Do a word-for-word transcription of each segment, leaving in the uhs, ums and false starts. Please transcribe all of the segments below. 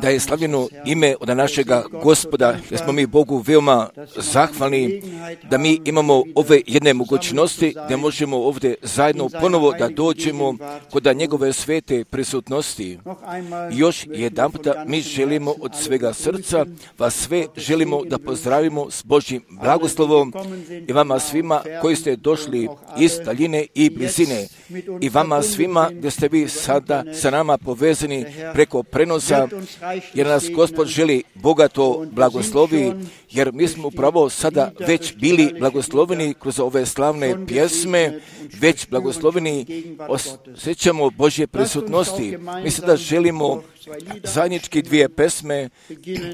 Da je slavljeno ime od našega Gospoda, jer smo mi Bogu veoma zahvalni da mi imamo ove jedne mogućnosti, da možemo ovdje zajedno ponovo da dođemo kod njegove svete prisutnosti. Još jedan puta mi želimo od svega srca, vas sve želimo da pozdravimo s Božjim blagoslovom i vama svima koji ste došli iz daljine i blizine i vama svima gdje ste vi sada sa nama povezani preko prenosa, jer nas Gospod želi bogato blagoslovi, jer mi smo upravo sada već bili blagosloveni kroz ove slavne pjesme, već blagosloveni osjećamo Božje prisutnosti. Mi sada želimo zajednički dvije pesme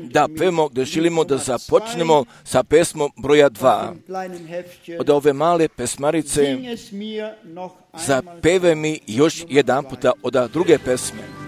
da pevemo, gdje želimo da započnemo sa pesmom broja dva. Od ove male pesmarice zapeve mi još jedan puta od druge pesme.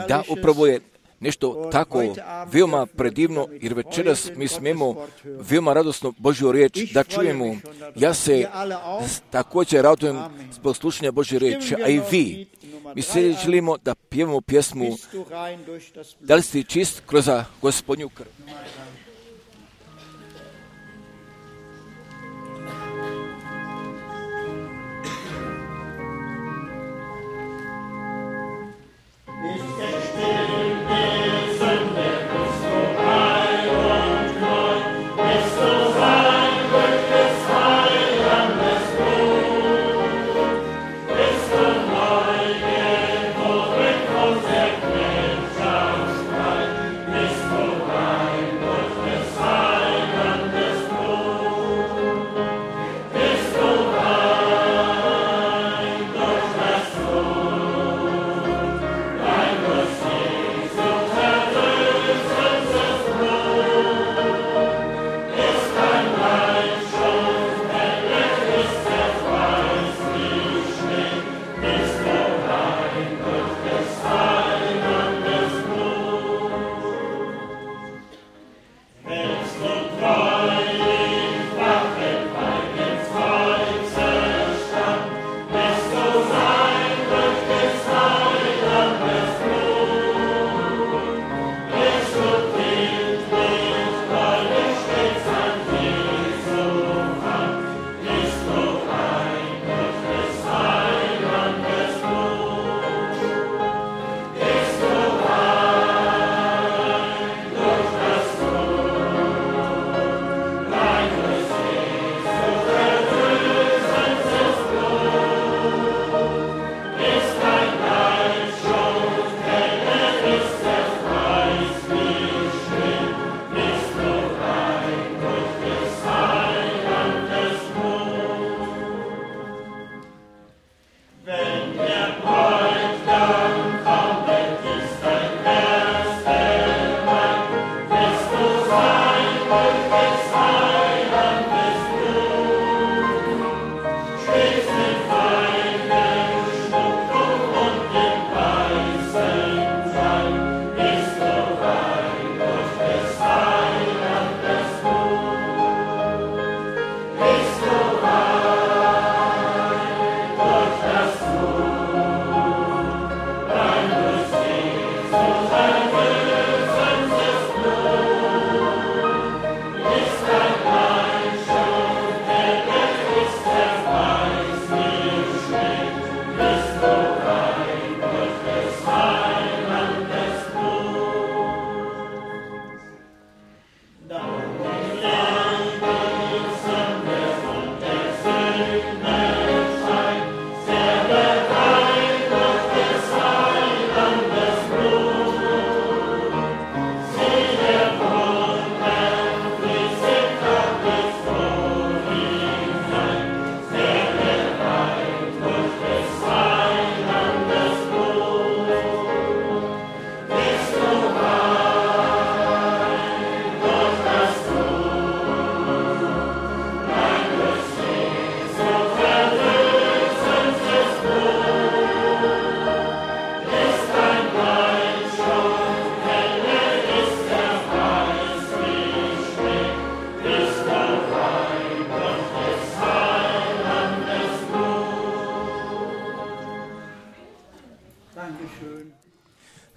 Da, upravo je nešto tako veoma predivno, jer večeras mi smemo veoma radosno Božju riječ da čujemo. Ja se također radujem zbog slušanja Božje riječi, a i vi. Mi se želimo da pjevamo pjesmu Da li si čist kroz Gospodnju krv. Bist du rein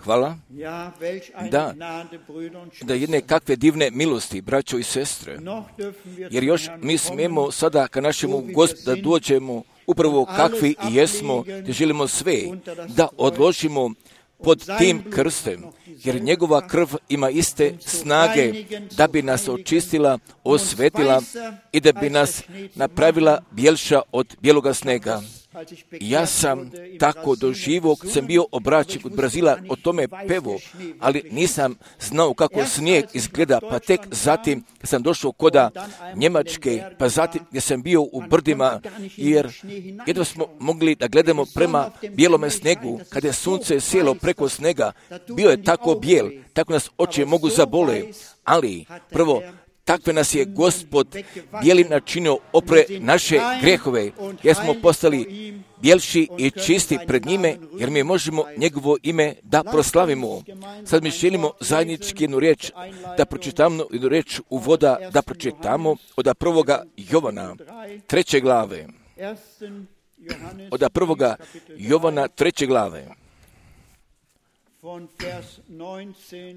hvala. Da, da jedne kakve divne milosti, braćo i sestre. Jer još mi smijemo sada ka našemu Gospodu da dođemo upravo kakvi i jesmo, da želimo sve da odložimo pod tim krstem, jer njegova krv ima iste snage da bi nas očistila, osvetila i da bi nas napravila bjelša od bijeloga snega. Ja sam tako doživo, kad sam bio obraćen kod Brazila, o tome pevo, ali nisam znao kako snijeg izgleda, pa tek zatim kad sam došao koda Njemačke, pa zatim gdje sam bio u brdima, jer jedno smo mogli da gledamo prema bijelome snegu, kad je sunce sjelo preko snega, bio je tako bijel, tako nas oči mogu zabole, ali prvo, takve nas je Gospod bijelim načinio opre naše grehove, jer smo postali bjelši i čisti pred njime, jer mi možemo njegovo ime da proslavimo. Sad mi želimo zajednički jednu riječ, da pročitamo jednu riječ uvoda, da pročitamo od prvoga Jovana, treće glave. Od prvoga Jovana, treće glave.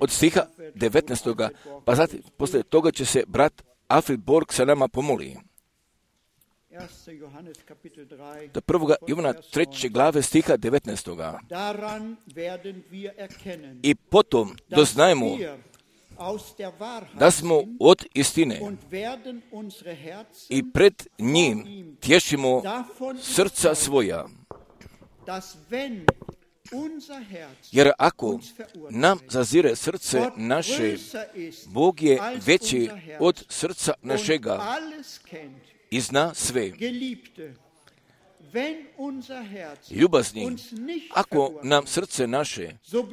Od stiha devetnaestog. Pa zatim, poslije toga će se brat Alfred Borg sa nama pomoli. Do prvoga Jovana treće glave stiha devetnaestog. I potom doznajemo da smo od istine i pred njim tješimo srca svoja. Jer ako nam zazire srce naše, Bog je veći od srca našega i zna sve. Ljubazni, ako nam srce naše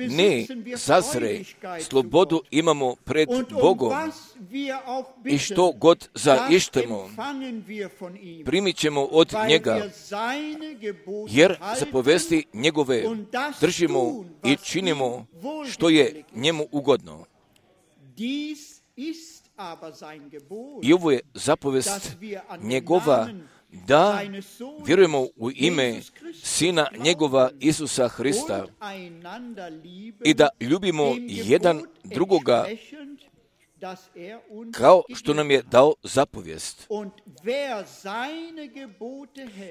ne zazre, slobodu imamo pred Bogom i što god zaištemo, primit ćemo od njega, jer zapovesti njegove držimo i činimo što je njemu ugodno. I ovo je zapovest njegova, da vjerujemo u ime Sina njegova Isusa Hrista i da ljubimo jedan drugoga kao što nam je dao zapovijest.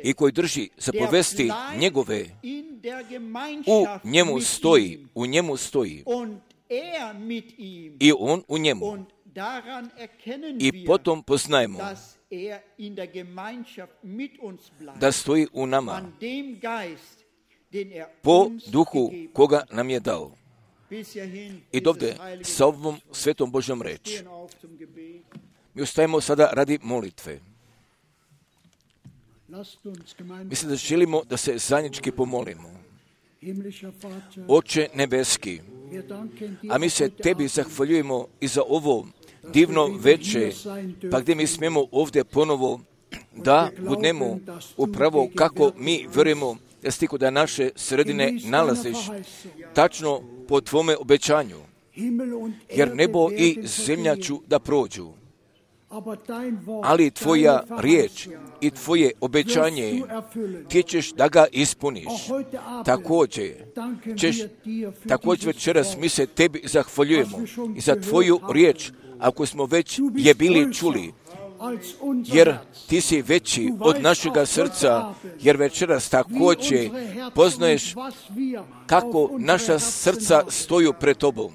I koji drži zapovesti njegove, u njemu stoji, u njemu stoji. I on u njemu. I potom poznajemo da stoji u nama po duhu koga nam je dao. I dovde sa ovom svetom Božjom reči. Mi ustajemo sada radi molitve. Mislim da želimo da se zajednički pomolimo. Oče nebeski, a mi se tebi zahvaljujemo i za ovo divno veče, pa gdje mi smijemo ovdje ponovo da budemo upravo kako mi vjerujemo da si ti kod naše sredine nalaziš, tačno po tvome obećanju, jer nebo i zemlja ću da prođu, ali tvoja riječ i tvoje obećanje ti ćeš da ga ispuniš. Također, ćeš, također večeras mi se tebi zahvaljujemo i za tvoju riječ, ako smo već je bili čuli, jer ti si veći od našega srca, jer večeras također poznaješ kako naša srca stoju pred tobom.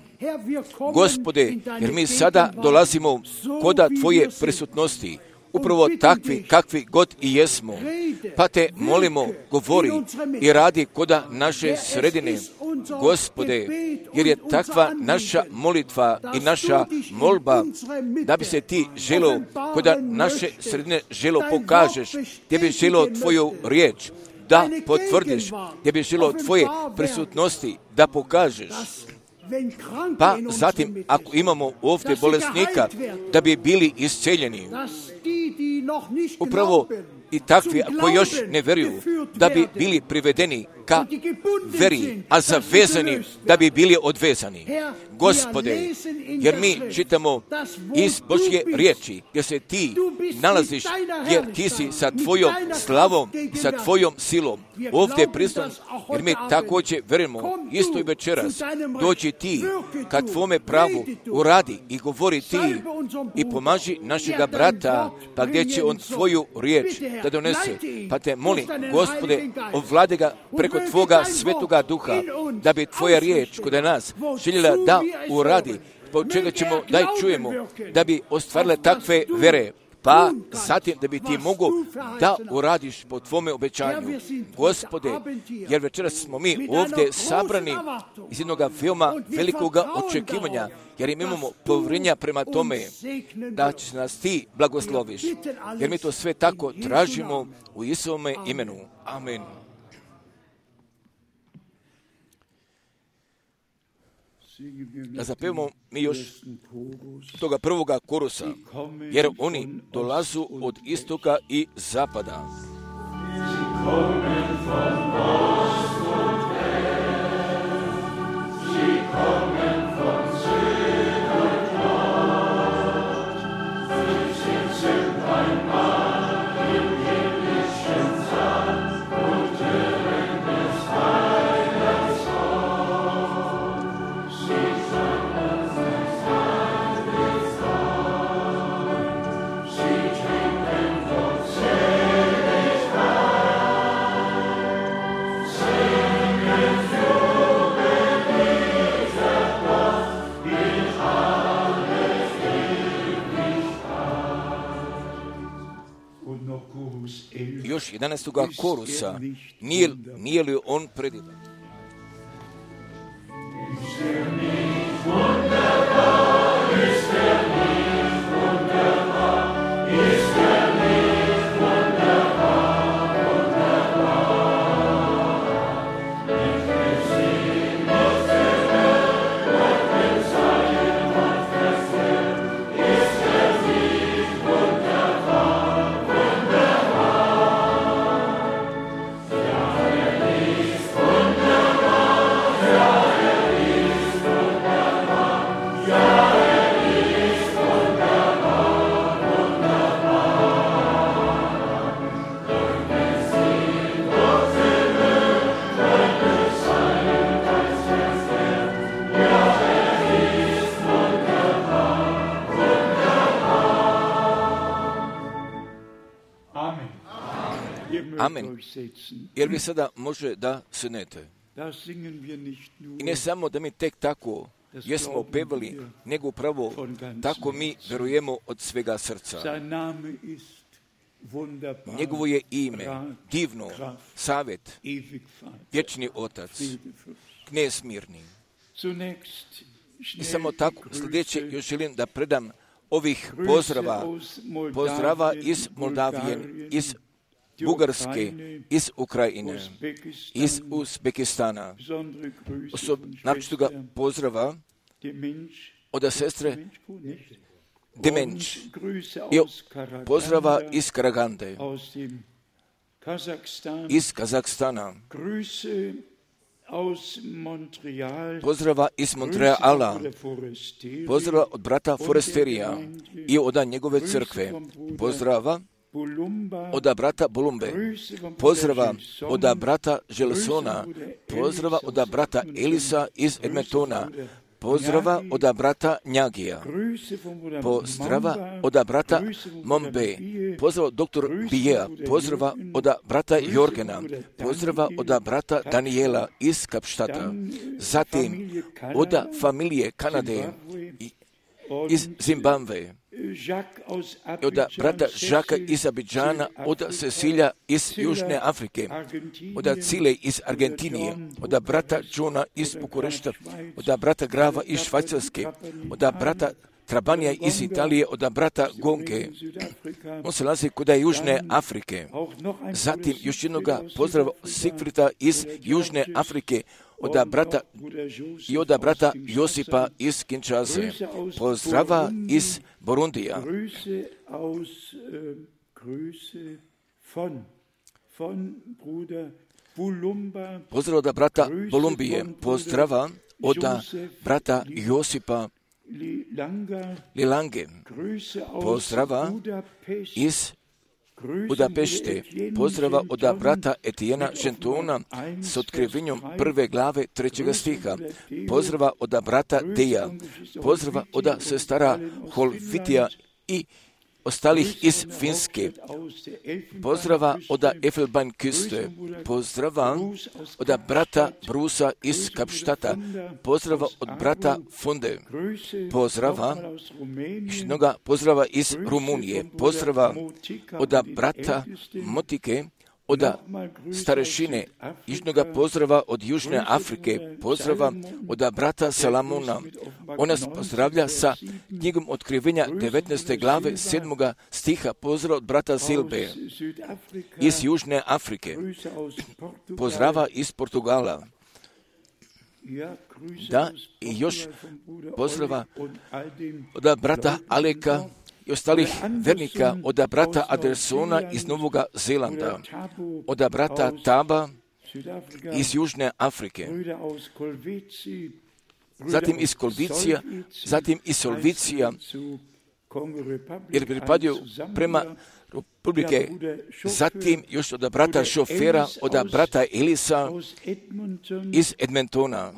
Gospode, jer mi sada dolazimo koda tvoje prisutnosti, upravo takvi kakvi god i jesmo, pa te molimo, govori i radi koda naše sredine, Gospode, jer je takva naša molitva i naša molba, da bi se ti želo, koda naše sredine želo pokažeš, gdje bi želo tvoju riječ da potvrdiš, gdje bi želo tvoje prisutnosti da pokažeš. Pa zatim, ako imamo ovdje bolesnika, da bi bili isceljeni, upravo i takvi koji još ne vjeruju, da bi bili privedeni ka veri, a zavezani da bi bili odvezani. Gospode, jer mi čitamo iz Božje riječi, gdje se ti nalaziš, jer ti si sa tvojom slavom, sa tvojom silom ovdje prisutan, jer mi također verujemo, isto i večeras, dođi ti, kad tvome pravu uradi i govori ti i pomaži našega brata, pa gdje će on svoju riječ da donese. Pa te molim, Gospode, ovlade ga preko tvoga svetoga duha, da bi tvoja riječ kod nas željela da uradi, po čega ćemo da ih čujemo, da bi ostvarile takve vere, pa zatim da bi ti mogu da uradiš po tvome obećanju. Gospode, jer večeras smo mi ovdje sabrani iz jednog veoma velikog očekivanja, jer imamo povjerenja prema tome da će nas ti blagosloviš, jer mi to sve tako tražimo u Isovome imenu. Amen. Da zapevamo mi još toga prvoga korusa, jer oni dolazu od istoka i zapada. Još jedanaestoga korusa, nije, nije li on predivan? Amen. Jer vi sada može da sednete. I ne samo da mi tek tako jesmo pevali, nego upravo tako mi verujemo od svega srca. Njegovo je ime divno, savjet, vječni otac, knez mirni. I samo tako sljedeće još želim da predam ovih pozdrava, pozdrava iz Moldavije, iz Bugarske, iz Ukrajine, iz Uzbekistana. Naročitoga pozdrava od sestre Demenč i pozdrava iz Karagande, iz Kazahstana, pozdrava iz Montreala, pozdrava od brata Foresterija i od njegove crkve, pozdrava od brata Bolumbe, pozdrava od brata Želsona, pozdrava od brata Elisa iz Edmontona, pozdrava od brata Njagija, pozdrava od brata Mombe, pozdrava od doktor Bijea, pozdrava od brata Jorgena, pozdrava od brata Daniela iz Kapštata, zatim od familije Kanade i iz Zimbabve, od brata Žaka iz Abidžana, od Cecilija iz Južne Afrike, od Cile iz Argentinije, od brata Johna iz Bukurešta, od brata Grava iz Švajcarske, od brata Trabanija iz Italije, od brata Gonke. On se nalazi kod Južne Afrike. Zatim još jednoga pozdrava Sigfrida iz Južne Afrike, od brata i od brata Josipa iz Kinshase, pozdrava iz Burundija, pozdrava od brata Bolumbije, pozdrava od brata Josipa Lilange, pozdrava iz Budapešte, pozdrava od brata Etijena Žentona s otkrivenjem prve glave trećega stiha, pozdrava od brata Deja, pozdrava od sestara Holvitija i ostalih iz Finske, pozdrava od Elfenbeinküste, pozdrava od brata Brusa iz Kapštata, pozdrava od brata Funde, pozdrava, jednoga pozdrava iz Rumunije, pozdrava od brata Motike, od starešine, jednoga pozdrava od Južne Afrike, pozdrava od brata Salamona. On nas pozdravlja sa knjigom otkrivenja devetnaeste glave sedmoga stiha, pozdrav od brata Silbe iz Južne Afrike, pozdrava iz Portugala. Da, i još pozdrava od brata Aleka i ostalih vernika, od brata Adersona iz Novoga Zelanda, od brata Taba iz Južne Afrike, zatim iz Kolvicija, zatim iz Solvicija, jer pripadaju prema Republike, zatim još od brata Šofera, od brata Elisa iz Edmontona.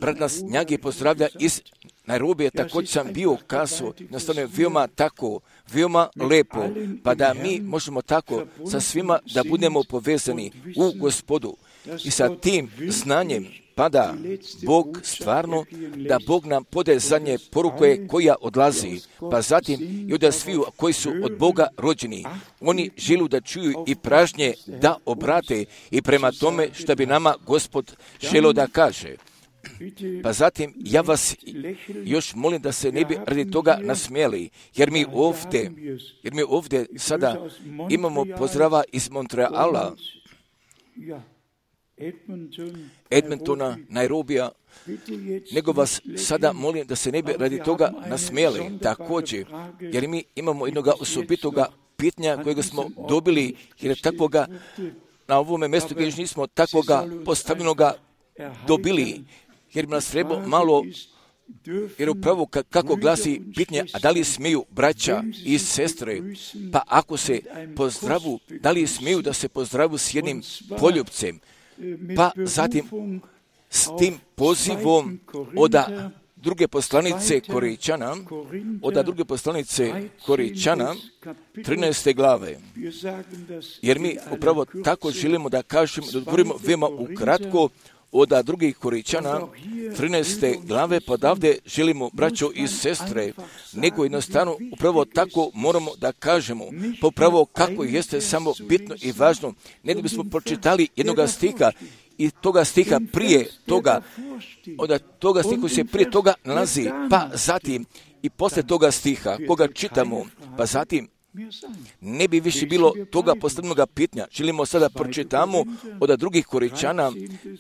Brat nas Njagi pozdravlja iz Nairobije, također sam bio kazao, nastavno veoma tako, veoma lepo, pa da mi možemo tako sa svima da budemo povezani u Gospodu i sa tim znanjem, pa da Bog stvarno, da Bog nam pode zadnje poruke koja odlazi, pa zatim i od sviju koji su od Boga rođeni. Oni žele da čuju i pražnje da obrate i prema tome što bi nama Gospod želio da kaže. Pa zatim ja vas još molim da se ne bi radi toga nasmijeli, jer mi ovdje, jer mi ovdje sada imamo pozdrava iz Montreala, Edmontona, Nairobija, nego vas sada molim da se ne bi radi toga nasmijeli također, jer mi imamo jednoga osobitoga pitanja kojega smo dobili, jer takvoga na ovome mjestu gdje još nismo takvoga postavljenoga dobili, jer bi nas treba malo, jer upravo kako glasi pitanje, a da li smiju braća i sestre, pa ako se pozdravu, da li smiju da se pozdravu s jednim poljupcem, pa zatim s tim pozivom od druge poslanice Korinčana, od druge poslanice Korinčana, trinaeste glave. Jer mi upravo tako želimo da kažemo, da odgovorimo veoma ukratko od drugih Korinčana, trinaeste glave, pa odavde želimo, braćo i sestre, nego jednostavno upravo tako moramo da kažemo, pa upravo kako jeste samo bitno i važno, ne da bismo pročitali jednoga stiha i toga stiha prije toga, od toga stiha koji se prije toga nalazi, pa zatim i posle toga stiha koga čitamo, pa zatim ne bi više bilo toga postavljenog pitanja. Želimo sada pročitamo od drugih Korinčana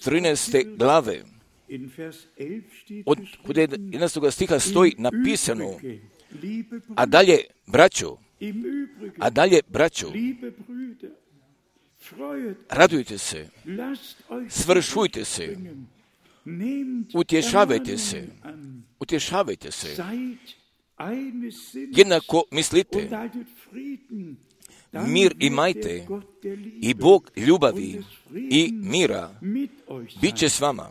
trinaeste glave. Od jedanaestog stiha stoji napisano, a dalje braćo, a dalje braćo, radujte se, svršujte se, utješavajte se, utješavajte se, jednako mislite, mir imajte i Bog ljubavi i mira bit će s vama.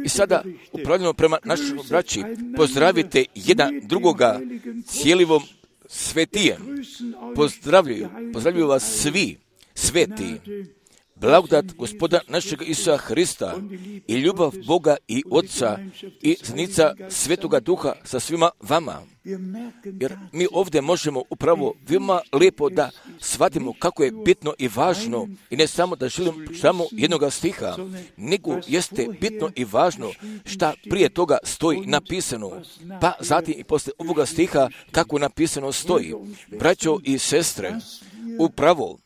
I sada upravljamo prema našim braći, pozdravite jedan drugoga cijelivom svetijem. Pozdravljaju, pozdravljaju vas svi sveti. Blagodat Gospoda našeg Isusa Hrista i ljubav Boga i Otca i zajednica Svetoga Duha sa svima vama. Jer mi ovdje možemo upravo veoma lijepo da shvatimo kako je bitno i važno i ne samo da želim samo jednoga stiha, nego jeste bitno i važno šta prije toga stoji napisano, pa zatim i poslije ovoga stiha kako napisano stoji. Braćo i sestre, upravo,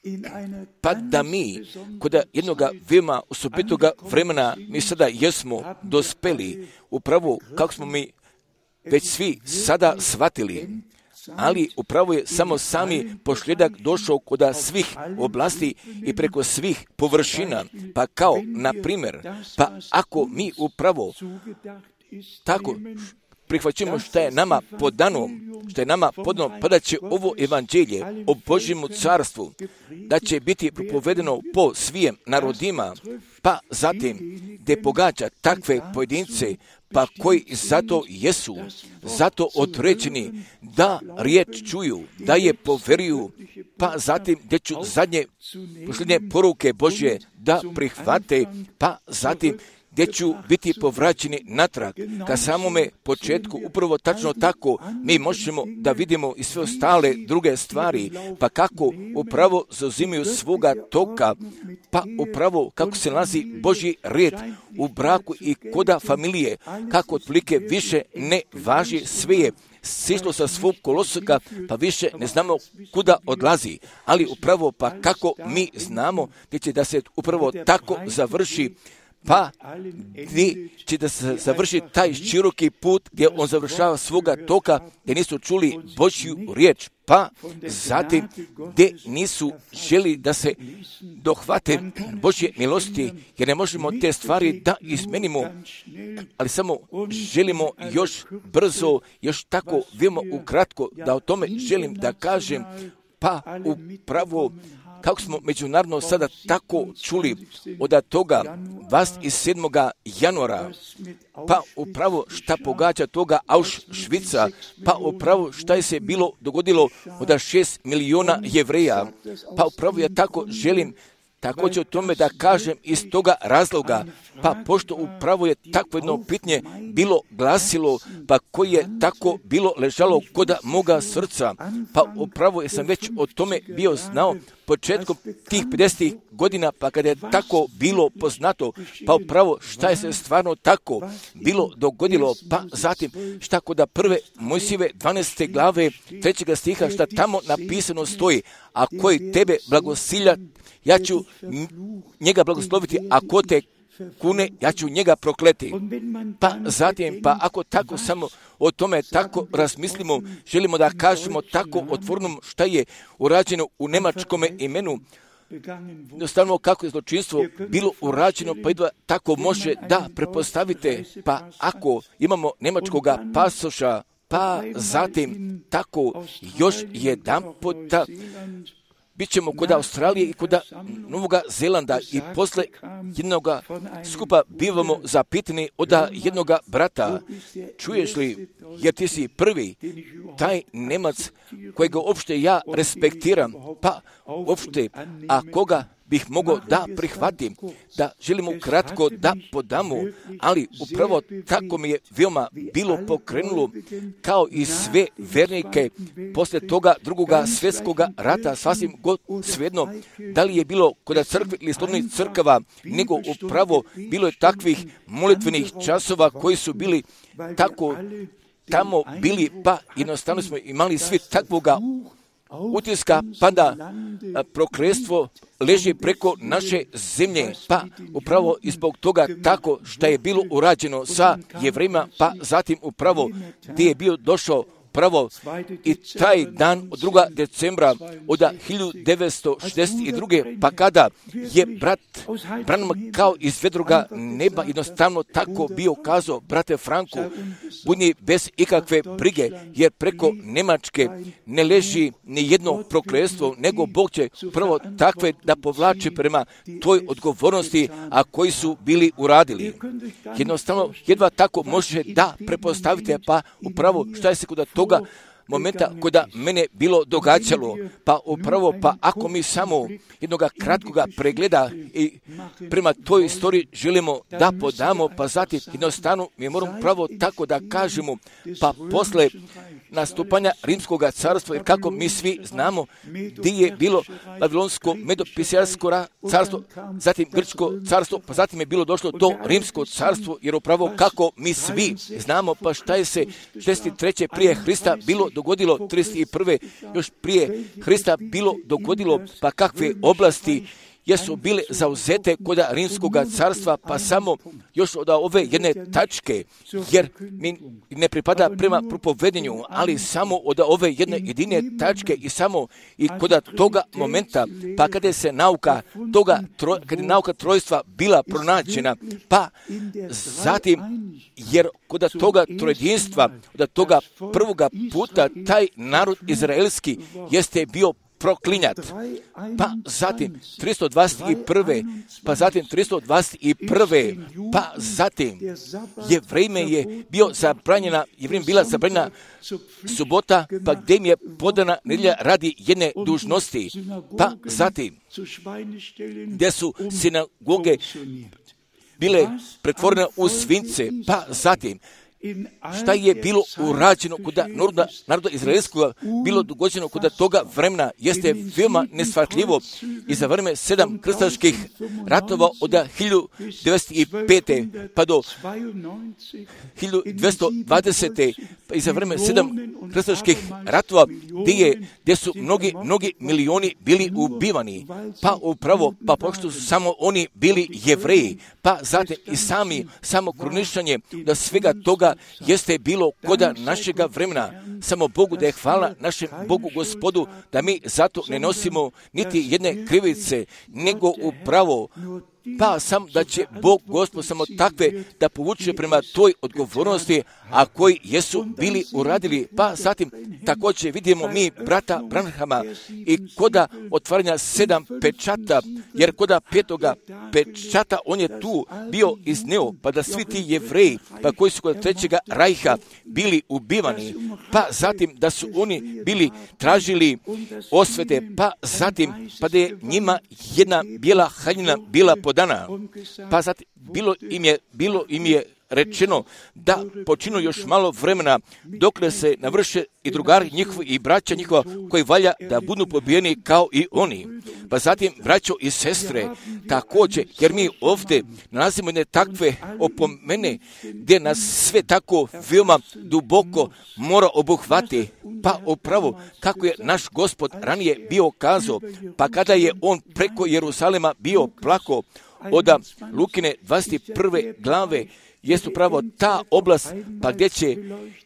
pa da mi kod jednoga veoma osobitoga vremena mi sada jesmo dospeli, upravo kako smo mi već svi sada shvatili, ali upravo je samo sami pošljedak došao kod svih oblasti i preko svih površina. Pa kao, na primjer, pa ako mi upravo tako prihvaćamo što je nama podano, što je nama podano, pa da će ovo evanđelje o Božjemu carstvu, da će biti propovedeno po svijem narodima, pa zatim gdje pogađa takve pojedince, pa koji zato jesu, zato određeni da riječ čuju, da je poveruju, pa zatim gdje ću zadnje posljednje poruke Božje da prihvate, pa zatim gdje ću biti povraćeni natrag ka samome početku. Upravo tačno tako mi možemo da vidimo i sve ostale druge stvari, pa kako upravo zauzimaju svoga toka, pa upravo kako se nalazi Božji red u braku i koda familije, kako otprilike više ne važi, sve je sišlo sa svog koloseka, pa više ne znamo kuda odlazi. Ali upravo pa kako mi znamo gdje će da se upravo tako završi, pa gdje će da se završi taj široki put gdje on završava svoga toka, gdje nisu čuli Božju riječ, pa zatim gdje nisu želi da se dohvate Božje milosti, jer ne možemo te stvari da izmenimo, ali samo želimo još brzo, još tako veoma ukratko da o tome želim da kažem, pa upravo kako smo međunarodno sada tako čuli od toga dvadeset sedmoga januara, pa upravo šta pogađa toga Auschwitza, pa upravo šta je se bilo dogodilo od šest miliona Jevreja, pa upravo ja tako želim također o tome da kažem iz toga razloga, pa pošto upravo je takvo jedno pitanje bilo glasilo, pa koje je tako bilo ležalo kod moga srca, pa upravo je sam već o tome bio znao početkom tih pedesetih godina, pa kada je tako bilo poznato, pa upravo šta je se stvarno tako bilo dogodilo, pa zatim šta kod prve Mojsijeve dvanaeste glave trećega stiha šta tamo napisano stoji, a koji tebe blagosilja, ja ću njega blagosloviti, a ko te kune, ja ću njega prokleti. Pa zatim, pa ako tako samo o tome tako razmislimo, želimo da kažemo tako otvornom šta je urađeno u nemačkome imenu, jednostavno kako je zločinstvo bilo urađeno, pa jedva tako može da prepostavite, pa ako imamo nemačkoga pasoša, pa zatim tako još jedan puta bit ćemo kod Australije i kod Novog Zelanda i posle jednog skupa bivamo zapitani od jednog brata, čuješ li, jer ti si prvi, taj Nemac kojega uopšte ja respektiram, pa uopšte, a koga bih mogao da prihvatim, da želimo kratko da podamo, ali upravo tako mi je veoma bilo pokrenulo, kao i sve vernike posle toga drugoga svjetskoga rata, sasvim god svejedno, da li je bilo kod crkve ili slobodnih crkava, nego upravo bilo je takvih molitvenih časova koji su bili tako tamo bili, pa jednostavno smo imali svi takvoga utiska, pa da prokletstvo leži preko naše zemlje, pa upravo i zbog toga tako što je bilo urađeno sa Jevrejima, pa zatim upravo gdje je bio došao pravo i taj dan od drugog decembra od hiljadu devetsto šezdeset druge pa kada je brat Branham kao iz vedroga neba jednostavno tako bio kazao, brate Franku, budni bez ikakve brige, jer preko Nemačke ne leži ni jedno prokletstvo, nego Bog će prvo takve da povlači prema toj odgovornosti, a koji su bili uradili. Jednostavno, jedva tako može da prepostavite, pa upravo šta je se kod toga momenta kada mene bilo događalo, pa upravo, pa ako mi samo jednog kratkoga pregleda i prema toj istoriji želimo da podamo, pa zatim jednostavno mi moramo pravo tako da kažemo, pa posle nastupanja Rimskog carstva, jer kako mi svi znamo gdje je bilo Babilonsko Medo-Persijansko carstvo, zatim Grčko carstvo, pa zatim je bilo došlo to Rimsko carstvo, jer upravo kako mi svi znamo, pa šta je se šezdeset treće prije Hrista bilo dogodilo, trideset prve još prije Hrista bilo dogodilo, pa kakve oblasti jesu bile zauzete kod Rimskog carstva, pa samo još od ove jedne tačke, jer mi ne pripada prema propovedenju, ali samo od ove jedne jedine tačke i samo i kod toga momenta, pa kada se nauka toga, kada je nauka trojstva bila pronađena, pa zatim, jer kod toga trojedinstva, od toga prvoga puta, taj narod izraelski jeste bio proklinjat. Pa zatim tristo dvadeset prve pa zatim tristo dvadeset prve pa zatim je vrijeme je bio zabranjena, je vrijeme bila zabranjena subota, pa gdje im je podana nedjelja radi jedne dužnosti. Pa zatim gdje su sinagoge bile pretvorene u svinjce, pa zatim šta je bilo urađeno kod naroda, naroda izraelskog, bilo dogođeno kod toga vremena, jeste veoma neshvatljivo i za vreme sedam krstaških ratova od hiljadu devetsto pete pa do hiljadu dvjesto dvadesete pa i za vreme sedam krstaških ratova gdje, je, gdje su mnogi, mnogi milioni bili ubivani, pa upravo, pa pošto su samo oni bili Jevreji, pa zatim i sami, samo kruničanje da svega toga jeste bilo koda našega vremena. Samo Bogu da je hvala našem Bogu Gospodu da mi zato ne nosimo niti jedne krivice, nego upravo pa sam da će Bog Gospod samo takve da povuče prema toj odgovornosti, a koji jesu bili uradili. Pa zatim također vidimo mi brata Branhama i koda otvaranja sedam pečata, jer koda petoga pečata on je tu bio izneo, pa da svi ti Jevreji, pa koji su kod trećega rajha bili ubivani, pa zatim da su oni bili tražili osvete, pa zatim pa da je njima jedna bijela haljina bila podana. Pa zatim bilo im je, bilo im je rečeno da počinu još malo vremena dokle se navrše i drugari njihovi i braća njihova koji valja da budu pobijeni kao i oni. Pa zatim, braćo i sestre, također, jer mi ovdje nalazimo jedne takve opomene gdje nas sve tako veoma duboko mora obuhvati, pa upravo kako je naš Gospod ranije bio kazao, pa kada je on preko Jeruzalema bio plako od Lukine dvadeset prve glave, jest upravo ta oblast pa gdje, će,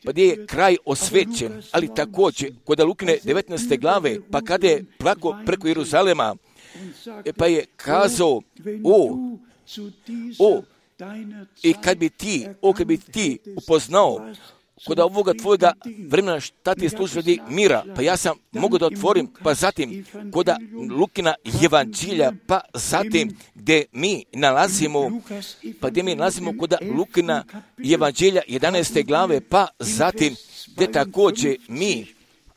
pa gdje je kraj osvećen, ali također kod Lukine devetnaeste glave, pa kada je plako preko Jeruzalema, pa je kazao, o, o, i kad bi ti, o, kad bi ti upoznao kod ovoga tvojega vremena šta ti služi radi mira, pa ja sam mogu da otvorim, pa zatim kod Lukina evanđelja, pa zatim gdje mi nalazimo, pa gdje mi nalazimo kod Lukina evanđelja jedanaeste glave, pa zatim gdje također mi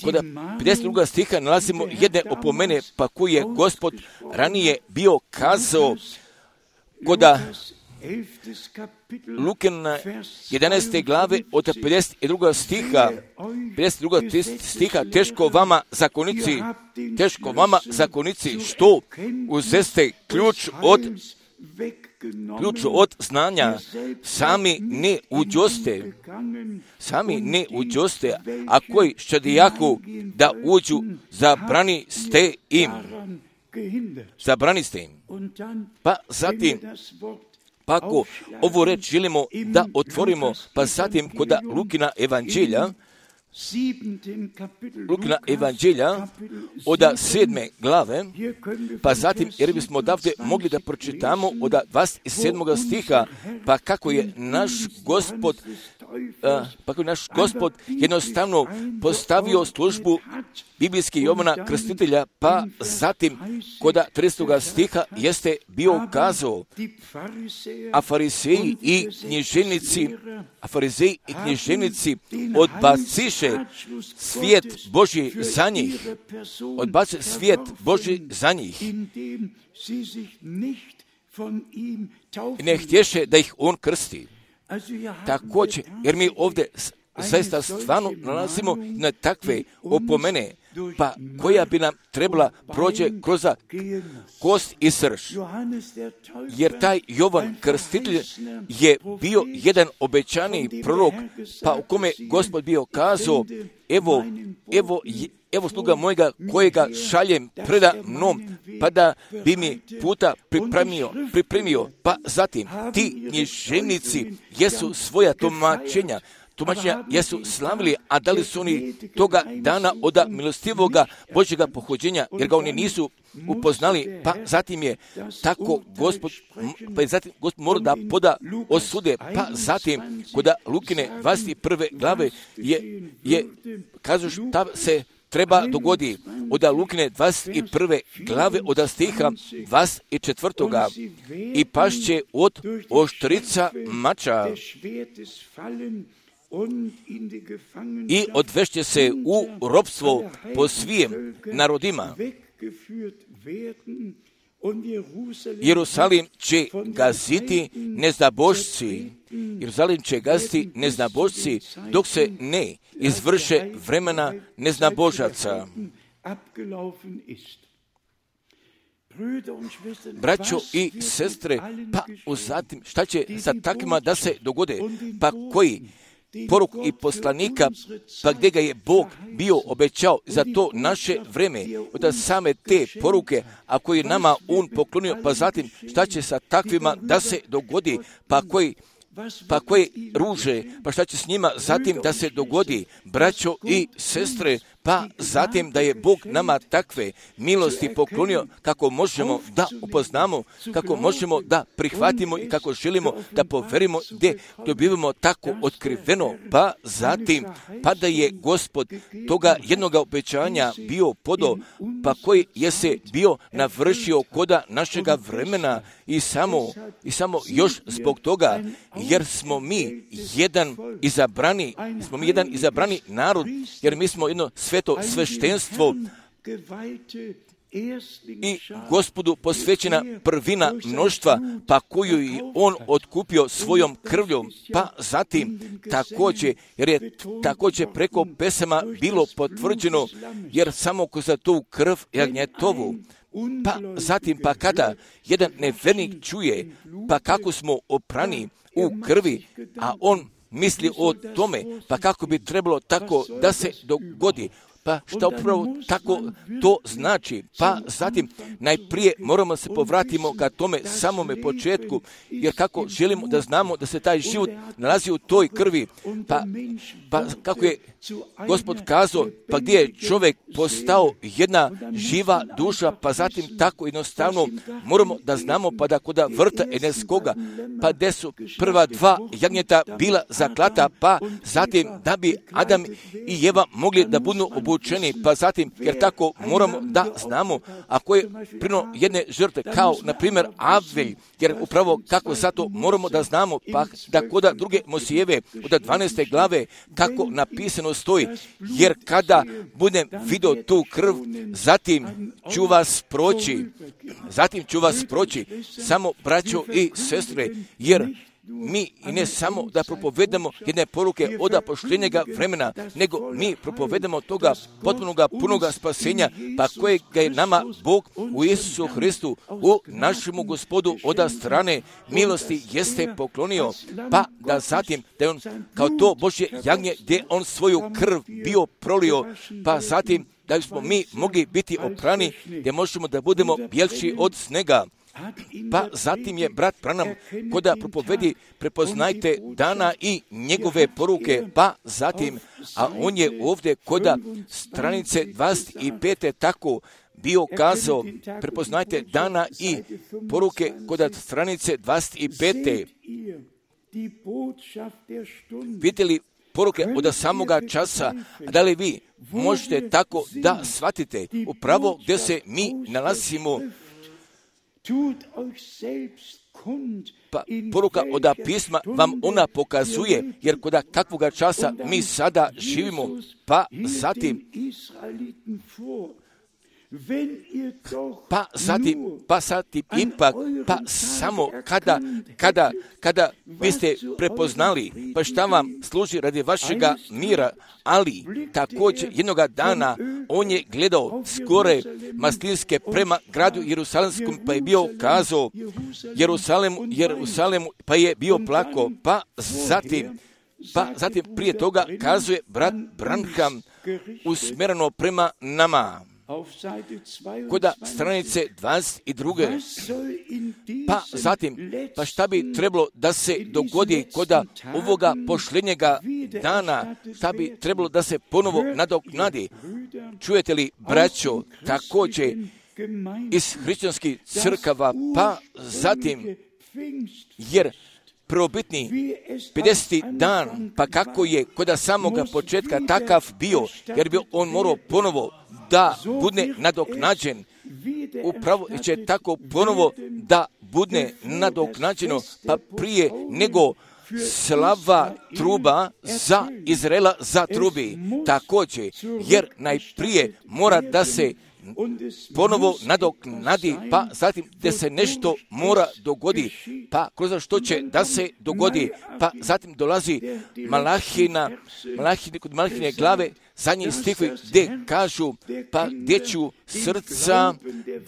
kod pedeset drugog stiha nalazimo jedne opomene, pa koji je Gospod ranije bio kazao kod Lukina jedanaeste glave od pedeset drugog stiha, pedeset drugog stiha, teško vama zakonici, teško vama zakonici, što uzeste ključ od ključ od znanja, sami ne uđoste, sami ne uđoste, a koji ščadijaku da uđu, zabrani ste im, zabrani ste im. Pa zatim, pa ako ovu reč želimo da otvorimo, pa zatim kod Lukina evanđelja, Lukina evanđelja od sedme glave, pa zatim jer bismo odavde mogli da pročitamo od dvadeset sedmog stiha, pa kako je naš Gospod, pa kako je naš Gospod jednostavno postavio službu biblijski Jovana Krstitelja, pa zatim kod tridesetog stiha jeste bio kazao, a fariseji i književnici, a fariseji i književnici odbaciše svijet Božji za njih, odbaciše svijet Božji za njih i ne htješe da ih on krsti. Također, jer mi ovdje zaista stvarno nalazimo na takve opomene, pa koja bi nam trebala prođe kroz kost i srž. Jer taj Jovan Krstitelj je bio jedan obećani prorok, pa u kome Gospod bio kazao, evo, evo, evo sluga mojega kojega šaljem preda mnom, pa da bi mi puta pripremio, pripremio. Pa zatim ti književnici jesu svoja tumačenja, tumačenja jesu slavili, a da li su oni toga dana od milostivoga Božjega pohođenja, jer ga oni nisu upoznali, pa zatim je tako Gospod, pa je zatim Gospod mora da poda osude, pa zatim kod Lukine dvadeset prve glave je, je kažu šta se treba dogodi od Lukine dvadeset prve glave od stiha dvadeset četvrtoga i pašće od oštrica mača i odvešće se u ropstvo po svim narodima. Jerusalim će gaziti neznabošci, Jerusalim će gaziti neznabošci dok se ne izvrše vremena neznabožaca. Braćo i sestre, pa zatim šta će sa takvima da se dogode, pa koji poruku i poslanika, pa gdje ga je Bog bio obećao za to naše vreme, od same te poruke, a koji nama on poklonio, pa zatim šta će sa takvima da se dogodi, pa koji pa koje ruže, pa šta će s njima zatim da se dogodi, braćo i sestre, pa zatim da je Bog nama takve milosti poklonio kako možemo da upoznamo, kako možemo da prihvatimo i kako želimo da poverimo, gdje dobivamo tako otkriveno, pa zatim pa da je Gospod toga jednoga obećanja bio podo, pa koji je se bio navršio koda našega vremena i samo, i samo još zbog toga, jer smo mi jedan izabrani, smo mi jedan izabrani narod, jer mi smo jedno sveto sveštenstvo i Gospodu posvećena prvina mnoštva, pa koju je on otkupio svojom krvljom, pa zatim također, jer je također preko pesama bilo potvrđeno, jer samo ko za tu krv jagnjetovu, pa zatim pa kada jedan nevernik čuje, pa kako smo oprani u krvi, a on misli o tome, pa kako bi trebalo tako da se dogodi, pa šta upravo tako to znači, pa zatim najprije moramo se povratimo ka tome samome početku, jer kako želimo da znamo da se taj život nalazi u toj krvi, pa, pa kako je Gospod kazao, pa gdje je čovjek postao jedna živa duša, pa zatim tako jednostavno moramo da znamo, pa da kod vrta Edenskoga, pa gdje su prva dva jagnjeta bila zaklata, pa zatim da bi Adam i Eva mogli da budu obučeni, pa zatim, jer tako moramo da znamo, ako je prino jedne žrtve, kao na primjer Avelj, jer upravo kako zato moramo da znamo, pa da kod druge Mosijeve od dvanaeste glave, kako napisano stoji, jer kada budem vidio tu krv, zatim ću vas proći, zatim ću vas proći, samo braćo i sestre, jer mi i ne samo da propovedamo jedne poruke od poštenjega vremena, nego mi propovedamo toga potpunoga, punoga spasenja, pa kojega je nama Bog u Isusu Hristu, u našemu Gospodu od strane milosti jeste poklonio, pa da zatim, da je on kao to Božje jagnje, gdje on svoju krv bio prolio, pa zatim da smo mi mogli biti oprani, gdje možemo da budemo bjelši od snega. Pa zatim je brat Branham koda propovedi prepoznajte dana i njegove poruke, pa zatim, a on je ovdje koda stranice dvadeset pete tako bio kazao, prepoznajte dana i poruke koda stranice dvadeset pete Vidjeli poruke od samoga časa, da li vi možete tako da shvatite upravo gdje se mi nalazimo. Pa poruka od pisma vam ona pokazuje, jer kod kakvoga časa mi sada živimo, pa zatim Pa zatim, pa zatim ipak, pa samo kada, kada, kada biste prepoznali, pa šta vam služi radi vašega mira, ali također jednoga dana on je gledao skore maslinske prema gradu Jerusalemskom, pa je bio kazao Jerusalemu, Jerusalemu, pa je bio plako, pa zatim, pa zatim prije toga kazuje brat Branham usmjereno prema nama. Koda stranice dvadeset druge. Pa zatim, pa šta bi trebalo da se dogodi koda ovoga pošljenjega dana, šta bi trebalo da se ponovo nadoknadi. Čujete li, braćo, također iz hrišćanskih crkava, pa zatim, jer prvobitni pedeseti dan, pa kako je koda samoga početka takav bio, jer bi on morao ponovo da bude nadoknađen, upravo će tako ponovo da bude nadoknađeno, pa prije nego slava truba za Izraela zatrubi također, jer najprije mora da se ponovo nadoknadi, pa zatim da se nešto mora dogodi, pa kroz što će da se dogodi, pa zatim dolazi Malahina, Malahine, kod Malahine glave, zadnji stihvi gdje kažu, pa gdje ću srca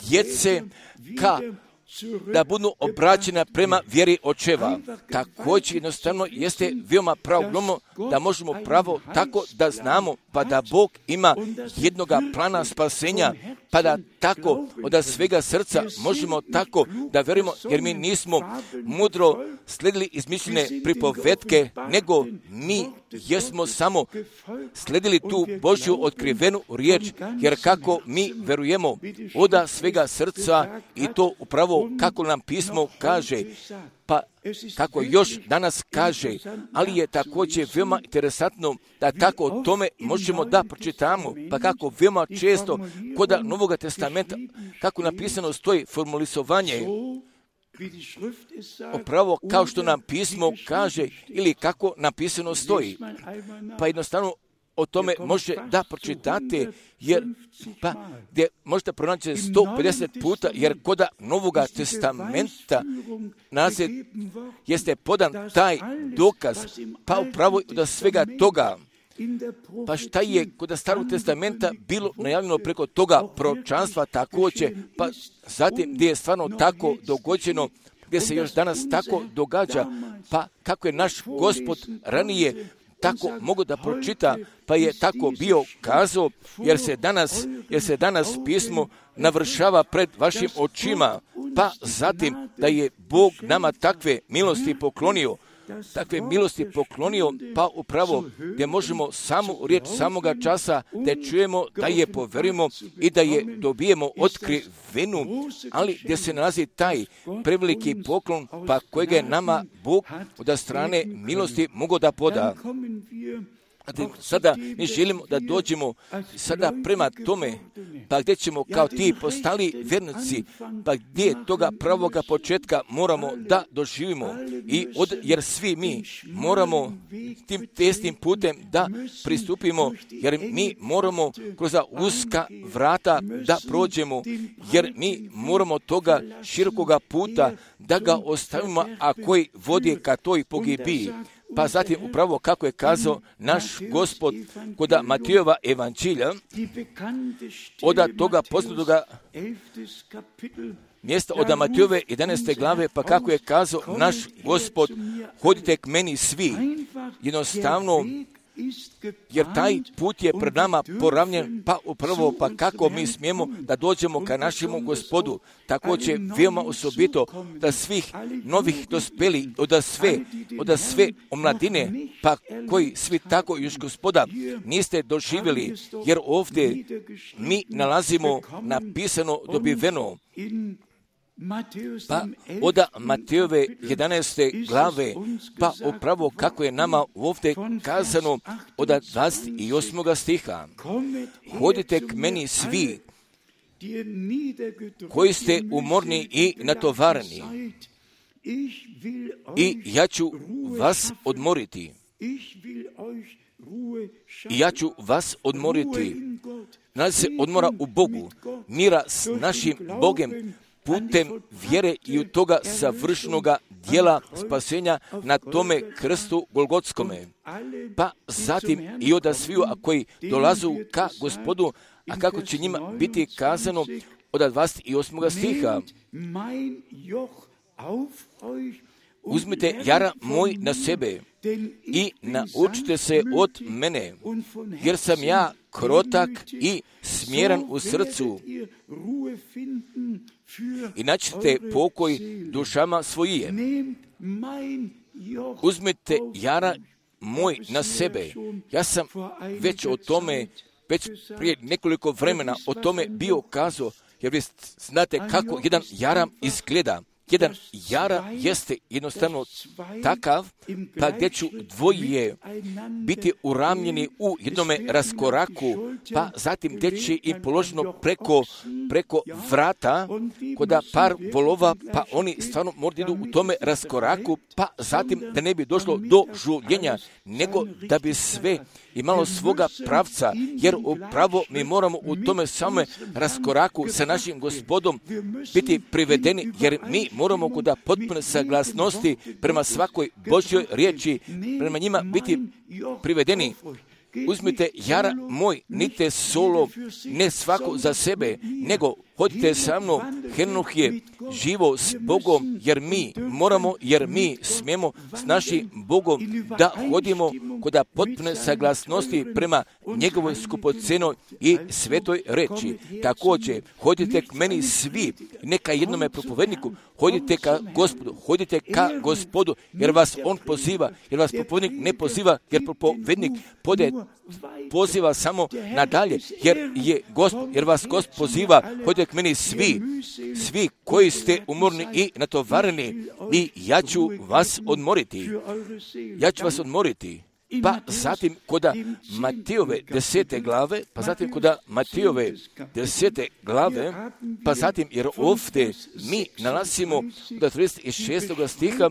djece ka da budu obraćena prema vjeri očeva. Također jednostavno jeste veoma pravilno da možemo pravo tako da znamo, pa da Bog ima jednoga plana spasenja, pa da tako od svega srca možemo tako da vjerujemo, jer mi nismo mudro sledili izmišljene pripovetke, nego mi jesmo samo sledili tu Božju otkrivenu riječ, jer kako mi verujemo od svega srca i to upravo kako nam pismo kaže, pa kako još danas kaže, ali je također veoma interesantno da tako o tome možemo da pročitamo, pa kako veoma često kod Novoga testamenta, kako napisano stoji formulisovanje, upravo kao što nam pismo kaže ili kako napisano stoji, pa jednostavno o tome može da pročitate, jer pa gdje možete pronaći sto pedeset puta, jer kod Novoga testamenta nazad jeste podan taj dokaz, pa upravo od svega toga. Pa šta je kod Starog testamenta bilo najavljeno preko toga proročanstva također, pa zatim gdje je stvarno tako dogođeno, gdje se još danas tako događa, pa kako je naš Gospod ranije tako mogu da pročita, pa je tako bio kazao, jer se danas, jer se danas pismo navršava pred vašim očima, pa zatim da je Bog nama takve milosti poklonio, takve milosti poklonio, pa upravo gdje možemo samu riječ samoga časa da čujemo, da je poverujemo i da je dobijemo otkrivenu, ali gdje se nalazi taj preveliki poklon, pa kojega je nama Bog od strane milosti mogo da poda. Sada mi želimo da dođemo sada prema tome, pa gdje ćemo kao ti postali vjernici, pa gdje toga pravoga početka moramo da doživimo, i od, jer svi mi moramo tim tesnim putem da pristupimo, jer mi moramo kroz uska vrata da prođemo, jer mi moramo toga širokoga puta da ga ostavimo, a koji vodi ka toj pogibiji. Pa zatim upravo kako je kazao naš Gospod kod Matijeva evanđelja, od toga poznatoga mjesta od Matijeve jedanaeste glave, pa kako je kazao naš Gospod, hodite k meni svi, jednostavno, jer taj put je pred nama poravnjen, pa upravo pa kako mi smijemo da dođemo ka našemu Gospodu. Također veoma osobito da svih novih dospeli, od sve, od sve omladine, pa koji svi tako još Gospoda niste doživjeli, jer ovdje mi nalazimo napisano dobiveno, pa od Matejove jedanaeste glave, pa upravo kako je nama ovdje kazano od dvadeset osmog stiha. Hodite k meni svi koji ste umorni i natovareni, i ja ću vas odmoriti. I ja ću vas odmoriti. nalazi se odmora u Bogu, mira s našim Bogem, putem vjere i u toga savršenoga dijela spasenja na tome krstu Golgotskome. Pa zatim i oda sviju, a koji dolazu ka Gospodu, a kako će njima biti kazano od dvadeset osmog stiha. Uzmite jara moj na sebe i naučite se od mene, jer sam ja krotak i smjeran u srcu, i naćete pokoj dušama svojije. Uzmite jara moj na sebe. Ja sam već o tome, već prije nekoliko vremena o tome bio kazao, jer vi znate kako jedan jara izgleda. Jedan jara jeste jednostavno takav, pa gdje ću dvoje biti uramljeni u jednome raskoraku, pa zatim gdje će im položeno preko, preko vrata, koda par volova, pa oni stvarno moraju idu u tome raskoraku, pa zatim da ne bi došlo do žuljenja, nego da bi sve imalo svoga pravca, jer upravo mi moramo u tome same raskoraku sa našim Gospodom biti privedeni, jer mi moramo kod potpune saglasnosti prema svakoj Božjoj riječi, prema njima biti privedeni. Uzmite jara moj, nite solo, ne svako za sebe, nego hodite sa mnom. Henoh je živo s Bogom, jer mi moramo, jer mi smijemo s našim Bogom da hodimo kod potpune saglasnosti prema njegovoj skupocenoj i svetoj reči. Također, hodite k meni svi, neka jednome propovedniku, hodite ka Gospodu, hodite ka Gospodu, jer vas on poziva, jer vas propovednik ne poziva, jer propovednik pode poziva samo nadalje, jer je Gospod, jer vas Gospod poziva, hodite k meni svi, svi koji ste umorni i natovareni, i ja ću vas odmoriti. Ja ću vas odmoriti. Pa zatim koda Matejove desete glave, pa zatim koda Matejove desete glave, pa zatim, jer ovdje mi nalazimo od trideset šestog stiha,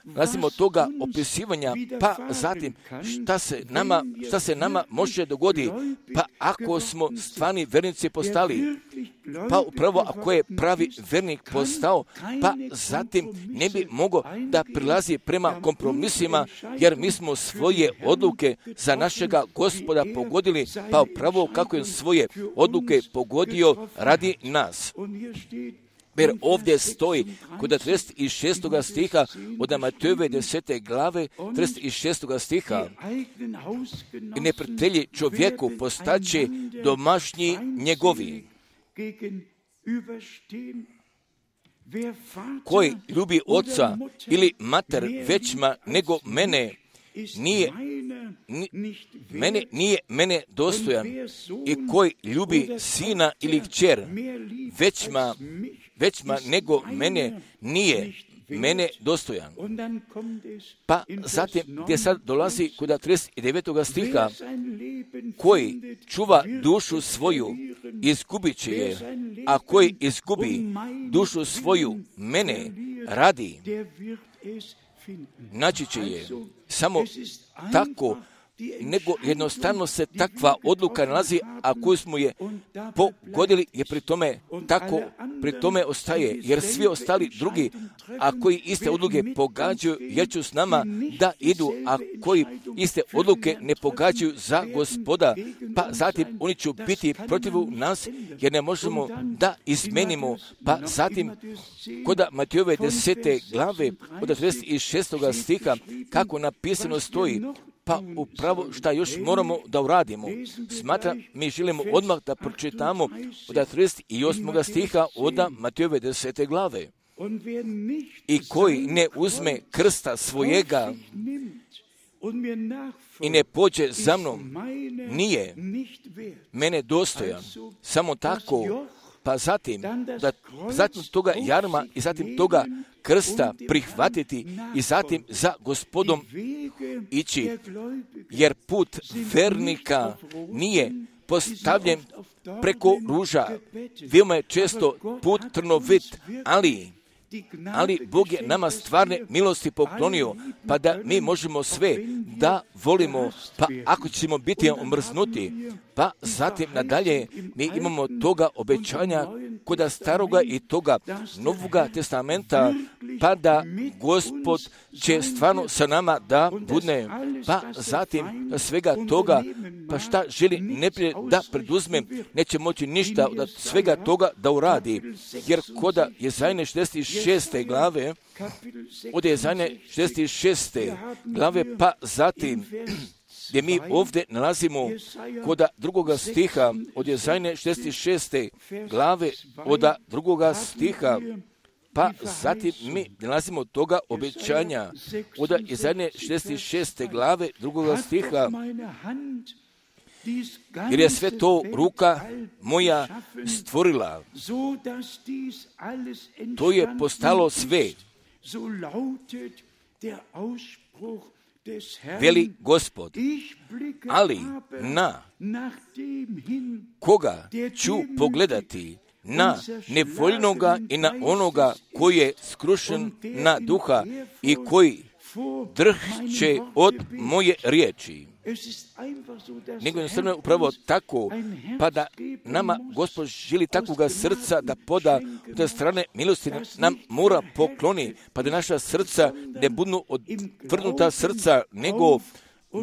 nalazimo toga opisivanja, pa zatim šta se nama, šta se nama može dogoditi, pa ako smo stvarni vernici postali, pa upravo ako je pravi vernik postao, pa zatim ne bi mogao da prilazi prema kompromisima, jer mi smo svoje odluke za našega Gospoda pogodili, pa upravo kako je svoje odluke pogodio radi nas. Jer ovdje stoji kod trideset šestog stiha od Matejove desete glave, trideset šestog stiha, i neprijatelji čovjeku postaće domašnji njegovi, koji ljubi oca ili mater većma nego mene, nije, ni, mene, nije mene dostojan, i koji ljubi sina ili kćer većma, većma nego mene, nije mene dostojan. Pa zatim gdje sad dolazi kod trideset devetog stiha, koji čuva dušu svoju, izgubit će je, a koji izgubi dušu svoju mene radi, naći će je. Samo tako, nego jednostavno se takva odluka nalazi, a koju smo je pogodili, je pri tome tako, pri tome ostaje, jer svi ostali drugi, a koji iste odluke pogađaju, jer će s nama da idu, a koji iste odluke ne pogađaju za Gospoda, pa zatim oni će biti protiv nas, jer ne možemo da izmenimo. Pa zatim kod Matejove desete glave od trideset šestog stiha, kako napisano stoji, pa upravo šta još moramo da uradimo. Smatra, mi želimo odmah da pročitamo od trideset osmog stiha od Matejove desete glave. I koji ne uzme krsta svojega i ne pođe za mnom, nije mene dostojan. Samo tako, pa zatim, da, zatim toga jarma i zatim toga krsta prihvatiti i zatim za Gospodom ići, jer put vernika nije postavljen preko ruža. Veoma je često put trnovit, ali ali Bog je nama stvarne milosti poklonio, pa da mi možemo sve da volimo, pa ako ćemo biti omrznuti, pa zatim nadalje mi imamo toga obećanja kod staroga i toga novoga testamenta, pa da Gospod će stvarno sa nama da bude, pa zatim svega toga, pa šta želi neprijatelj da preduzme, neće moći ništa od svega toga da uradi, jer koda Jezajne šezdeset šeste glave, od Jezajne šezdeset šeste glave, pa zatim gdje mi ovdje nalazimo koda drugoga stiha od Jezajne šezdeset šeste glave, od drugoga stiha, pa zatim mi nalazimo toga obećanja od Jezajne šezdeset šeste glave, drugoga stiha, jer je sve to ruka moja stvorila. To je postalo sve. Veli Gospod, ali na koga ću pogledati? Na nevoljnoga i na onoga koji je skrušen na duha i koji drhće od moje riječi. Nego jednostavno je upravo tako, pa da nama Gospod želi takvoga srca da poda od te strane milosti nam mora pokloni, pa da naša srca ne budu odvrnuta srca, nego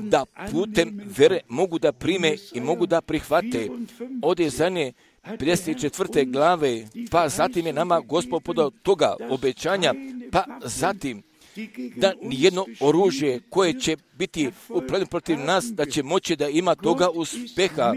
da putem vere mogu da prime i mogu da prihvate. Od Jezajne pedeset četvrte glave, pa zatim je nama Gospod podao toga obećanja, pa zatim da nijedno oružje koje će biti upredno protiv nas, da će moći da ima toga uspeha,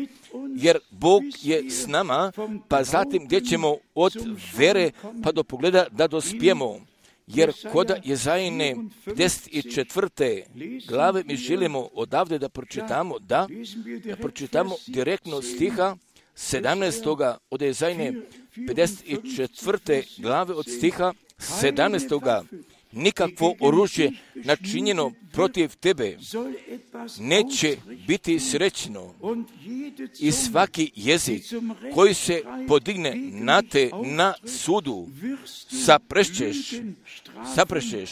jer Bog je s nama, pa zatim gdje ćemo od vere pa do pogleda da dospijemo. Jer koda Jezajne pedeset četvrte glave mi želimo odavde da pročitamo, da, da pročitamo direktno stiha sedamnaestoga od Jezajne pedeset četvrte glave od stiha sedamnaestoga nikakvo oružje načinjeno protiv tebe neće biti srećno i svaki jezik koji se podigne na te na sudu saprešćeš, saprešćeš.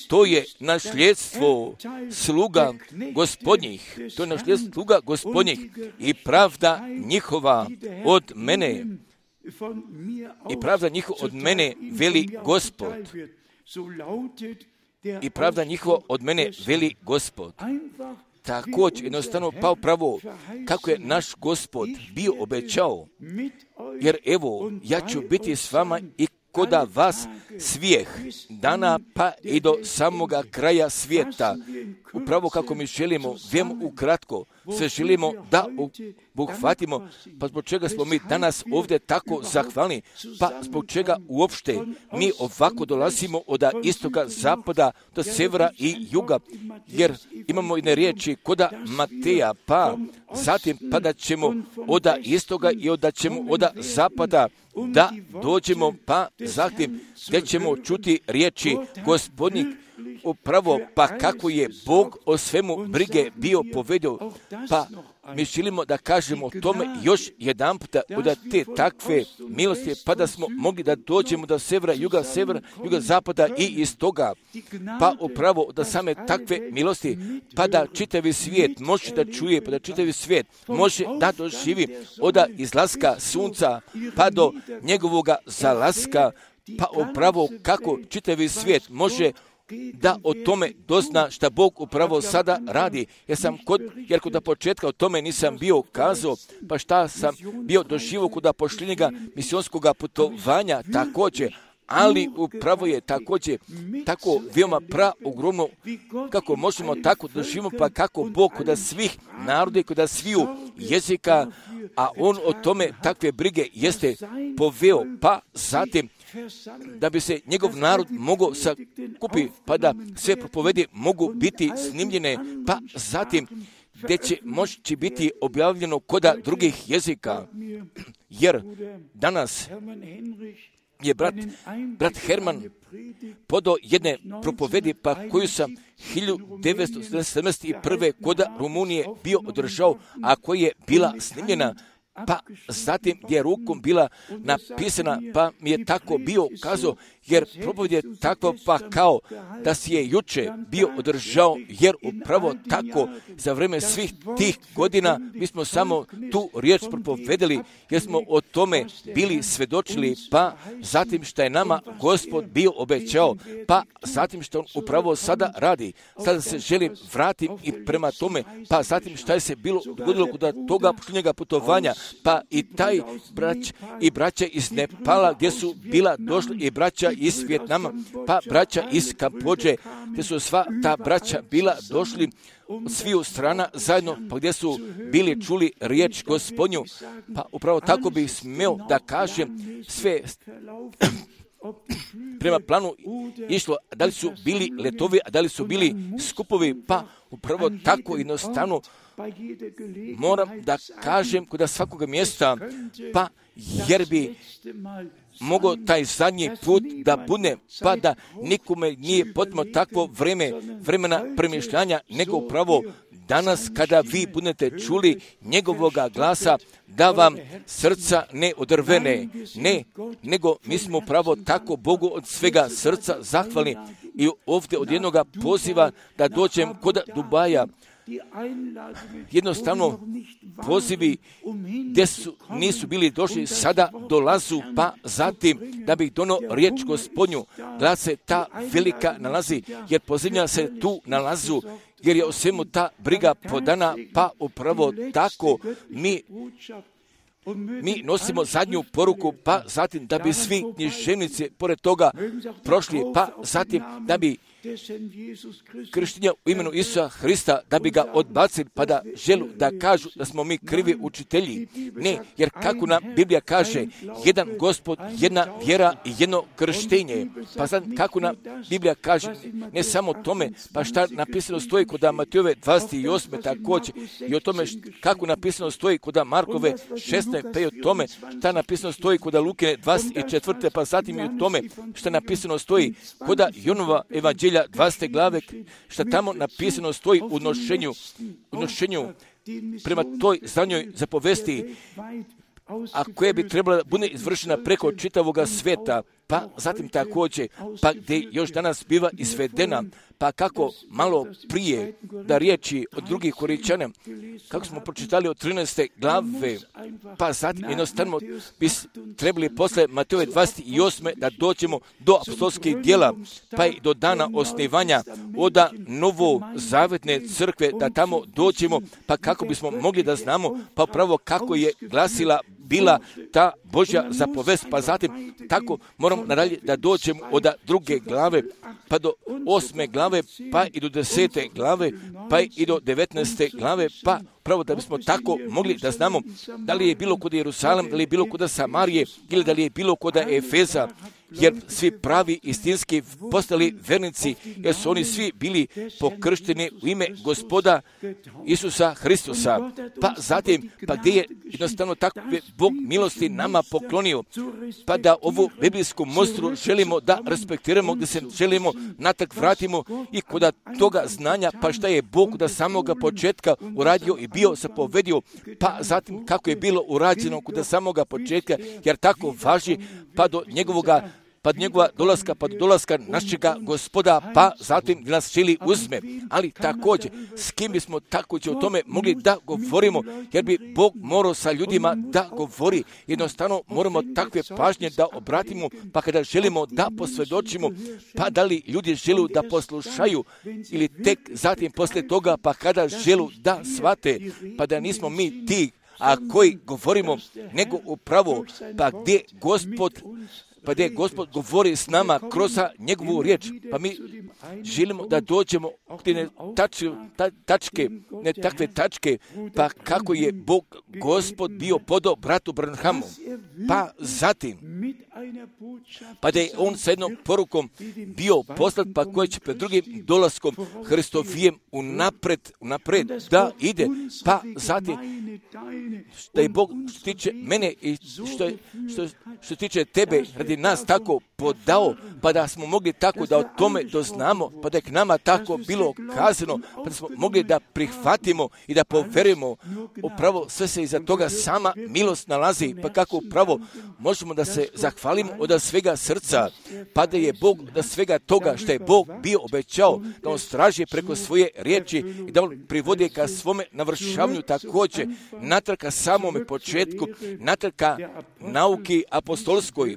To je nasljedstvo sluga gospodnjih, to je nasljedstvo sluga gospodnjih i pravda njihova od mene, i pravda njihova od mene veli Gospod. I pravda njihova od mene veli Gospod. Također, jednostavno, pa upravo kako je naš Gospod bio obećao, jer evo, ja ću biti s vama i koda vas svijeh dana pa i do samoga kraja svijeta. Upravo kako mi želimo, vemo ukratko, sve želimo da obuhvatimo, pa zbog čega smo mi danas ovdje tako zahvalni, pa zbog čega uopšte mi ovako dolazimo od istoka, zapada, do severa i juga, jer imamo jedne riječi koda Mateja, pa zatim pa da ćemo od istoga i da ćemo od zapada da dođemo, pa zatim gdje ćemo čuti riječi Gospodnjih, upravo pa kako je Bog o svemu brige bio povedao, pa mi želimo da kažemo o tome još jedan puta od te takve milosti, pa da smo mogli da dođemo do severa, juga, severa, juga, zapada i istoga, pa upravo da same takve milosti, pa da čitavi svijet može da čuje, pa da čitavi svijet može da doživi od izlaska sunca pa do njegovoga zalaska, pa upravo kako čitavi svijet može da o tome dozna šta Bog upravo sada radi. Jer sam kod, jer kod početka o tome nisam bio kazao, pa šta sam bio doživio kod pošljenjega misionskog putovanja također, ali upravo je također tako veoma pra ogromno kako možemo tako doživimo, pa kako Bog kod svih naroda i kod sviju jezika, a On o tome takve brige jeste poveo, pa zatim da bi se njegov narod mogao sakupi, pa da sve propovedi mogu biti snimljene, pa zatim gdje će moći biti objavljeno koda drugih jezika. Jer danas je brat, brat Herman podao jedne propovedi, pa koju sam hiljadu devetsto sedamdeset prve koda Rumunije bio održao, a koja je bila snimljena, pa zatim gdje je rukom bila napisana, pa mi je tako bio kazao, jer propovjed je takva pa kao da si je juče bio održao, jer upravo tako za vrijeme svih tih godina mi smo samo tu riječ propovedali, jer smo o tome bili svedočili, pa zatim što je nama Gospod bio obećao, pa zatim što on upravo sada radi. Sada se želim vratiti i prema tome, pa zatim što je se bilo dogodilo kod toga posljednjega putovanja, pa i taj brać i braća iz Nepala gdje su bila došli i braća iz Vijetnama, pa braća iz Kambodže, gdje su sva ta braća bila došli od sviju strana zajedno, pa gdje su bili čuli riječ Gospodnju, pa upravo tako bi smio da kažem sve prema planu išlo, da li su bili letovi, a da li su bili skupovi, pa upravo tako jednostavno moram da kažem kod svakoga mjesta, pa jer bi mogao taj zadnji put da bude, pa da nikome nije potrebno takvo vreme, vremena premišljanja, nego upravo danas kada vi budete čuli njegovoga glasa, da vam srca ne odrvene, ne, nego mi smo upravo tako Bogu od svega srca zahvalni i ovdje od jednoga poziva da dođem kod Dubaja. Jednostavno pozivi gdje su, nisu bili došli, sada dolazu, pa zatim da bi dono riječ Gospodnju, da se ta velika nalazi, jer pozivlja se tu nalazu, jer je o svemu ta briga podana, pa upravo tako mi Mi nosimo zadnju poruku, pa zatim da bi svi književnici pored toga prošli, pa zatim da bi krštenja u imenu Isusa Hrista, da bi ga odbacili, pa da želu da kažu da smo mi krivi učitelji. Ne, jer kako nam Biblija kaže, jedan Gospod, jedna vjera i jedno krštenje. Pa sad kako nam Biblija kaže, ne samo tome, pa šta napisano stoji kod Matejove dvadeset osme također, i o tome kako napisano stoji kod Markove šesnaeste, pa i o tome šta napisano stoji kod Lukine dvadeset četvrte, pa zatim i o tome šta napisano stoji kod Jonova evanđelja dvadesete glave, što tamo napisano stoji u nošenju, u nošenju prema toj zadnjoj zapovesti, a koja bi trebala da bude izvršena preko čitavoga sveta, pa zatim također, pa gdje još danas biva izvedena, pa kako malo prije da riječi od drugih Korinćana, kako smo pročitali od trinaeste glave, pa zatim jednostavno bi trebali posle Matejove dvadeset osme da dođemo do apostolskih djela, pa i do dana osnivanja oda novozavetne crkve, da tamo dođemo, pa kako bismo mogli da znamo, pa pravo kako je glasila bila ta Božja zapovest, pa zatim tako moramo nadalje da dođemo od druge glave, pa do osme glave, pa i do desete glave, pa i do devetnaeste glave, pa pravo da bismo tako mogli da znamo da li je bilo kod Jerusalem, da li je bilo kod Samarije ili da li je bilo kod Efeza, jer svi pravi istinski postali vernici, jer su oni svi bili pokršteni u ime Gospoda Isusa Hristusa. Pa zatim, pa gdje je jednostavno takve Bog milosti nama poklonio, pa da ovu biblijsku mostru želimo da respektiramo, gdje se želimo natak vratimo i kod toga znanja, pa šta je Bog da samoga početka uradio i bio zapovedio, pa zatim kako je bilo urađeno kod samoga početka, jer tako važi pa do njegovoga pa do njegova dolaska, pa do dolaska našega Gospoda, pa zatim nas želi uzme. Ali također, s kim bismo također o tome mogli da govorimo, jer bi Bog morao sa ljudima da govori. Jednostavno moramo takve pažnje da obratimo, pa kada želimo da posvjedočimo, pa da li ljudi žele da poslušaju, ili tek zatim poslije toga, pa kada žele da shvate, pa da nismo mi ti, a koji govorimo, nego upravo, pa gdje Gospod pa gdje Gospod govori s nama kroz njegovu riječ, pa mi želimo da dođemo ne tač, ta, tačke, ne takve tačke, pa kako je Bog Gospod bio podao bratu Branhamu, pa zatim, pa da je on sa jednom porukom bio poslat, pa koji će pred drugim dolaskom Hristovijem unapred, unapred da ide, pa zatim, da je Bog što tiče mene i što, što, što tiče tebe, radi nas tako podao, pa da smo mogli tako da o tome doznamo, pa da je k nama tako bilo kazano, pa da smo mogli da prihvatimo i da poverujemo. Upravo sve se iza toga sama milost nalazi, pa kako upravo možemo da se zahvalimo hvalimo od svega srca, pa da je Bog od svega toga što je Bog bio obećao, da on straži preko svoje riječi i da on privodi ka svome navršavanju također, natrag ka samome početku, natrag ka nauki apostolskoj,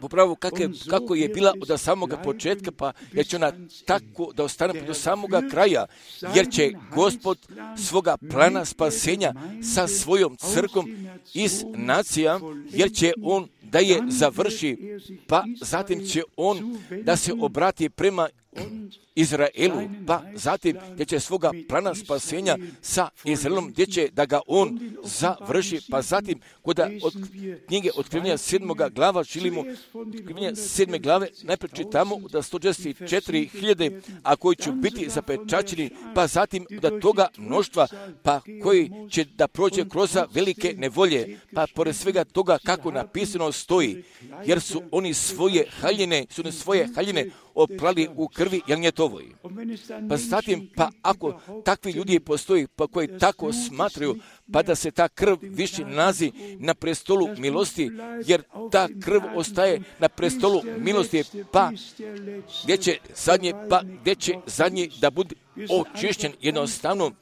upravo kako je, kako je bila od samoga početka, pa jer će ona tako da ostane do samoga kraja, jer će Gospod svoga plana spasenja sa svojom crkom iz nacija, jer će on da je završi, pa zatim će on da se obrati prema Izraelu, pa zatim gdje će svoga plana spasenja sa Izraelom, gdje će da ga on završi, pa zatim kod od knjige Otkrivenja sedmoga glava želimo, Otkrivenja sedme glave, najprije čitamo da sto šezdeset četiri hiljade, a koji će biti zapečaćeni, pa zatim da toga mnoštva, pa koji će da prođe kroz velike nevolje, pa pored svega toga kako napisano stoji, jer su oni svoje haljine, su oni svoje haljine oprali u krvi jagnjetovoj. Pa zatim, pa ako takvi ljudi postoji, pa koji tako smatraju, pa da se ta krv više nalazi na prestolu milosti, jer ta krv ostaje na prestolu milosti, pa gdje će zadnje, pa gdje će zadnji da bude očišćen. Jednostavno,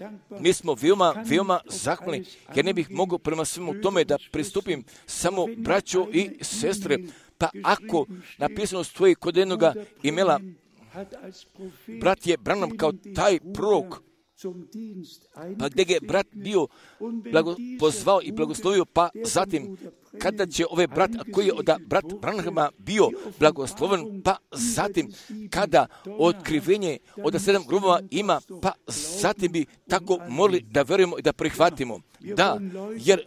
mi smo veoma, veoma zahvalni, jer ne bih mogao prema svemu tome da pristupim samo braćo i sestre. Pa ako napisano stoji kod jednoga imela, brat je Branham kao taj prorok, pa gdje je brat bio blago, pozvao i blagoslovio, pa zatim kada će ove brat, koji je od brat Branhama bio blagosloven, pa zatim kada otkrivenje od sedam grubova ima, pa zatim bi tako morali da verujemo i da prihvatimo. Da, jer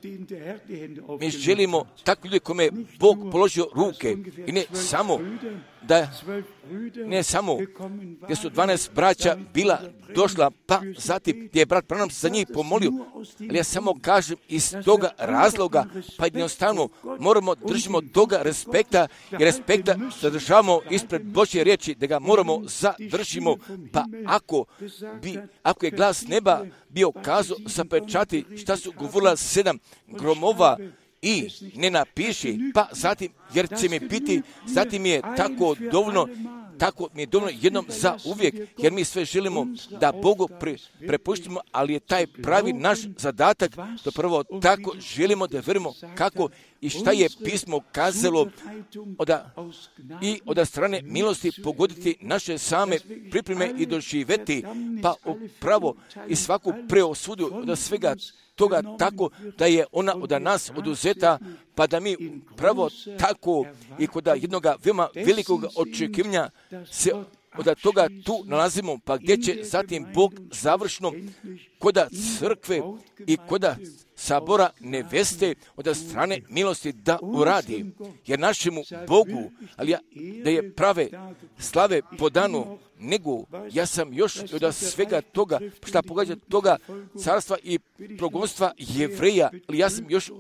mi želimo takvi ljudi kome je Bog položio ruke i ne samo da ne samo gdje su dvanaest braća bila došla, pa zatim gdje je brat Branham za njih pomolio, ali ja samo kažem iz toga razloga, pa jednostavno moramo držimo toga respekta i respekta zadržavamo ispred Božje riječi, da ga moramo zadržimo, pa ako bi, ako je glas neba bio kazao zapečati šta su govorila sedam gromova i ne napiši, pa zatim, jer će mi biti, zatim je tako dovoljno, tako mi je dovoljno jednom za uvijek, jer mi sve želimo da Bogu pre, prepuštimo, ali je taj pravi naš zadatak, da prvo tako želimo da verimo kako i šta je pismo kazalo oda, i od strane milosti pogoditi naše same pripreme i doživeti, pa upravo i svaku preosudu od svega toga tako da je ona od nas oduzeta, pa da mi pravo tako i kod jednog veoma velikog očekivanja se od toga tu nalazimo, pa gdje će zatim Bog završno koda crkve i koda sabora neveste od strane milosti da uradi, jer našemu Bogu, ali ja, da je prave slave po danu, nego ja sam još od svega toga, šta pogađa toga carstva i progonstva Jevreja, ali ja sam još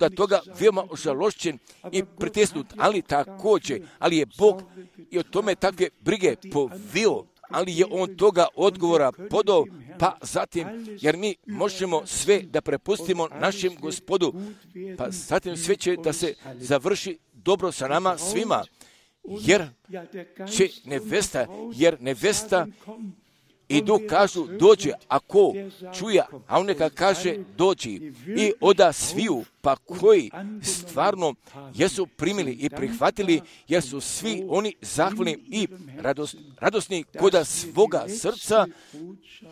od toga veoma ožalošćen i pritisnut, ali također, ali je Bog i o tome takve brige povio, ali je on toga odgovora podao, pa zatim, jer mi možemo sve da prepustimo našem Gospodu, pa zatim sve će da se završi dobro sa nama svima, jer će nevesta, jer nevesta i duh kažu dođe, a ko čuje, a on neka kaže dođi. I oda sviju, pa koji stvarno jesu primili i prihvatili, jer su svi oni zahvalni i rados, radosni koda svoga srca,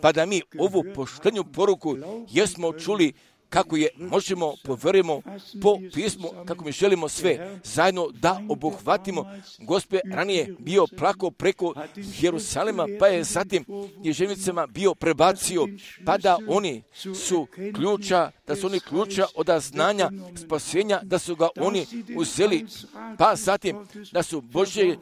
pa da mi ovu poštenju poruku jesmo čuli kako je možemo, poverujemo po pismu, kako mi želimo sve zajedno da obuhvatimo. Gospod ranije bio plako preko Jerusalema, pa je zatim ježevnicama bio prebacio, pa da oni su ključa, da su oni ključa od znanja spasenja, da su ga oni uzeli, pa zatim da su Božje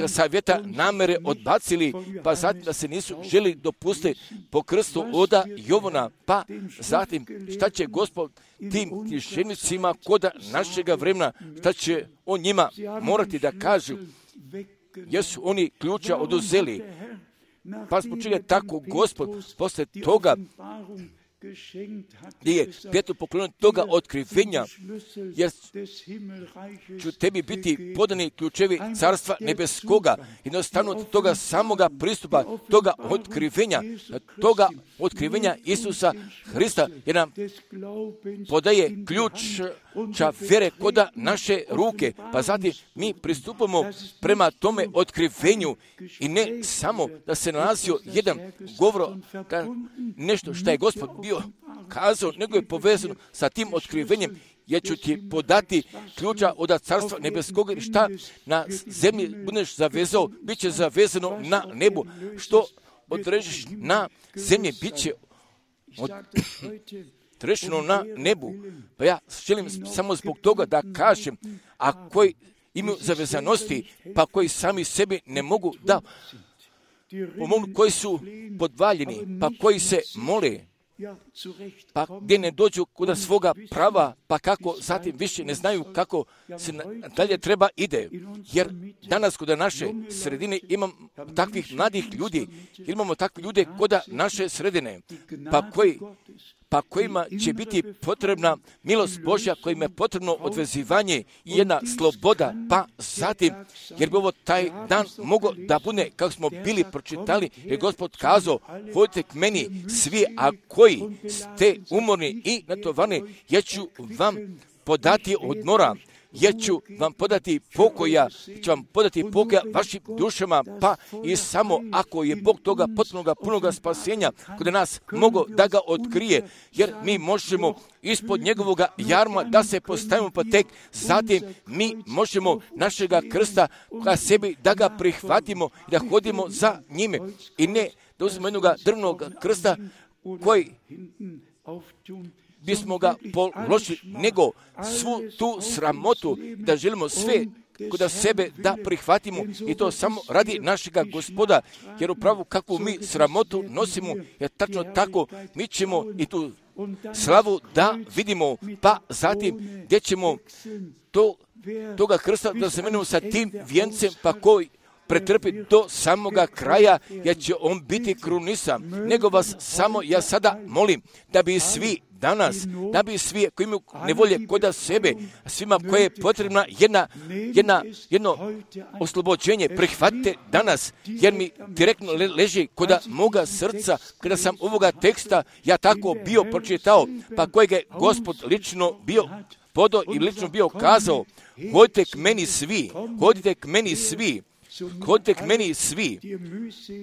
savjeta namere odbacili, pa zatim da se nisu želi dopustiti po krstu oda Jovana, pa zatim šta će Gospod tim tišenicima koda našega vremena, šta će on njima morati da kažu, jer su oni ključa oduzeli. Pa zbog čega tako Gospod posle toga gdje je Petru poklonio toga otkrivenja, jer ću tebi biti podani ključevi carstva nebeskoga, jednostavno toga samoga pristupa, toga otkrivenja, toga otkrivenja Isusa Hrista, jer nam podaje ključa vjere koda naše ruke, pa zatim mi pristupamo prema tome otkrivenju i ne samo da se nalazio jedan govor, nešto što je Gospod bio kazao, nego je povezano sa tim otkrivenjem, jer ću ti podati ključa od carstva nebeskog, i šta na zemlji budeš zavezao, bit će zavezano na nebu, što odrežiš na zemlji, bit će odrešeno na nebu. Pa ja želim samo zbog toga da kažem, a koji imaju zavezanosti, pa koji sami sebi ne mogu da pomognu, koji su podvaljeni, pa koji se mole, pa gdje ne dođu kod svoga prava, pa kako zatim više ne znaju kako se dalje treba ide. Jer danas kod naše sredine imamo takvih mladih ljudi, imamo takve ljude kod naše sredine, pa koji pa kojima će biti potrebna milost Božja, kojima je potrebno odvezivanje i jedna sloboda, pa zatim, jer bi ovo taj dan mogao da bude, kako smo bili pročitali, jer Gospod kazao, hodite k meni svi, a koji ste umorni i natovarni, ja ću vam podati odmora, ja ću vam podati pokoja, ću vam podati pokoja vašim dušama, pa i samo ako je Bog toga potpunoga, punoga spasenja kod nas mogo da ga otkrije, jer mi možemo ispod njegovoga jarma da se postavimo, pa tek zatim mi možemo našega krsta ka sebi da ga prihvatimo i da hodimo za njime i ne da uzmemo jednog drvnog krsta koji bismo ga položili, nego svu tu sramotu da želimo sve kod sebe da prihvatimo i to samo radi našega Gospoda, jer upravo kakvu mi sramotu nosimo, jer tačno tako mi ćemo i tu slavu da vidimo, pa zatim gdje ćemo to, toga krsta da zamenimo sa tim vijencem, pa koji pretrpi do samoga kraja, jer će on biti krunisan. Nego vas samo ja sada molim da bi svi danas, da bi svi koji imaju nevolje kod sebe, svima koje je potrebna jedna, jedna, jedno oslobođenje, prihvatite danas, jer mi direktno leži kod moga srca, kada sam ovoga teksta ja tako bio pročitao, pa kojeg je Gospod lično bio podao i lično bio kazao, hodite k meni svi, hodite k meni svi, hodite k meni svi,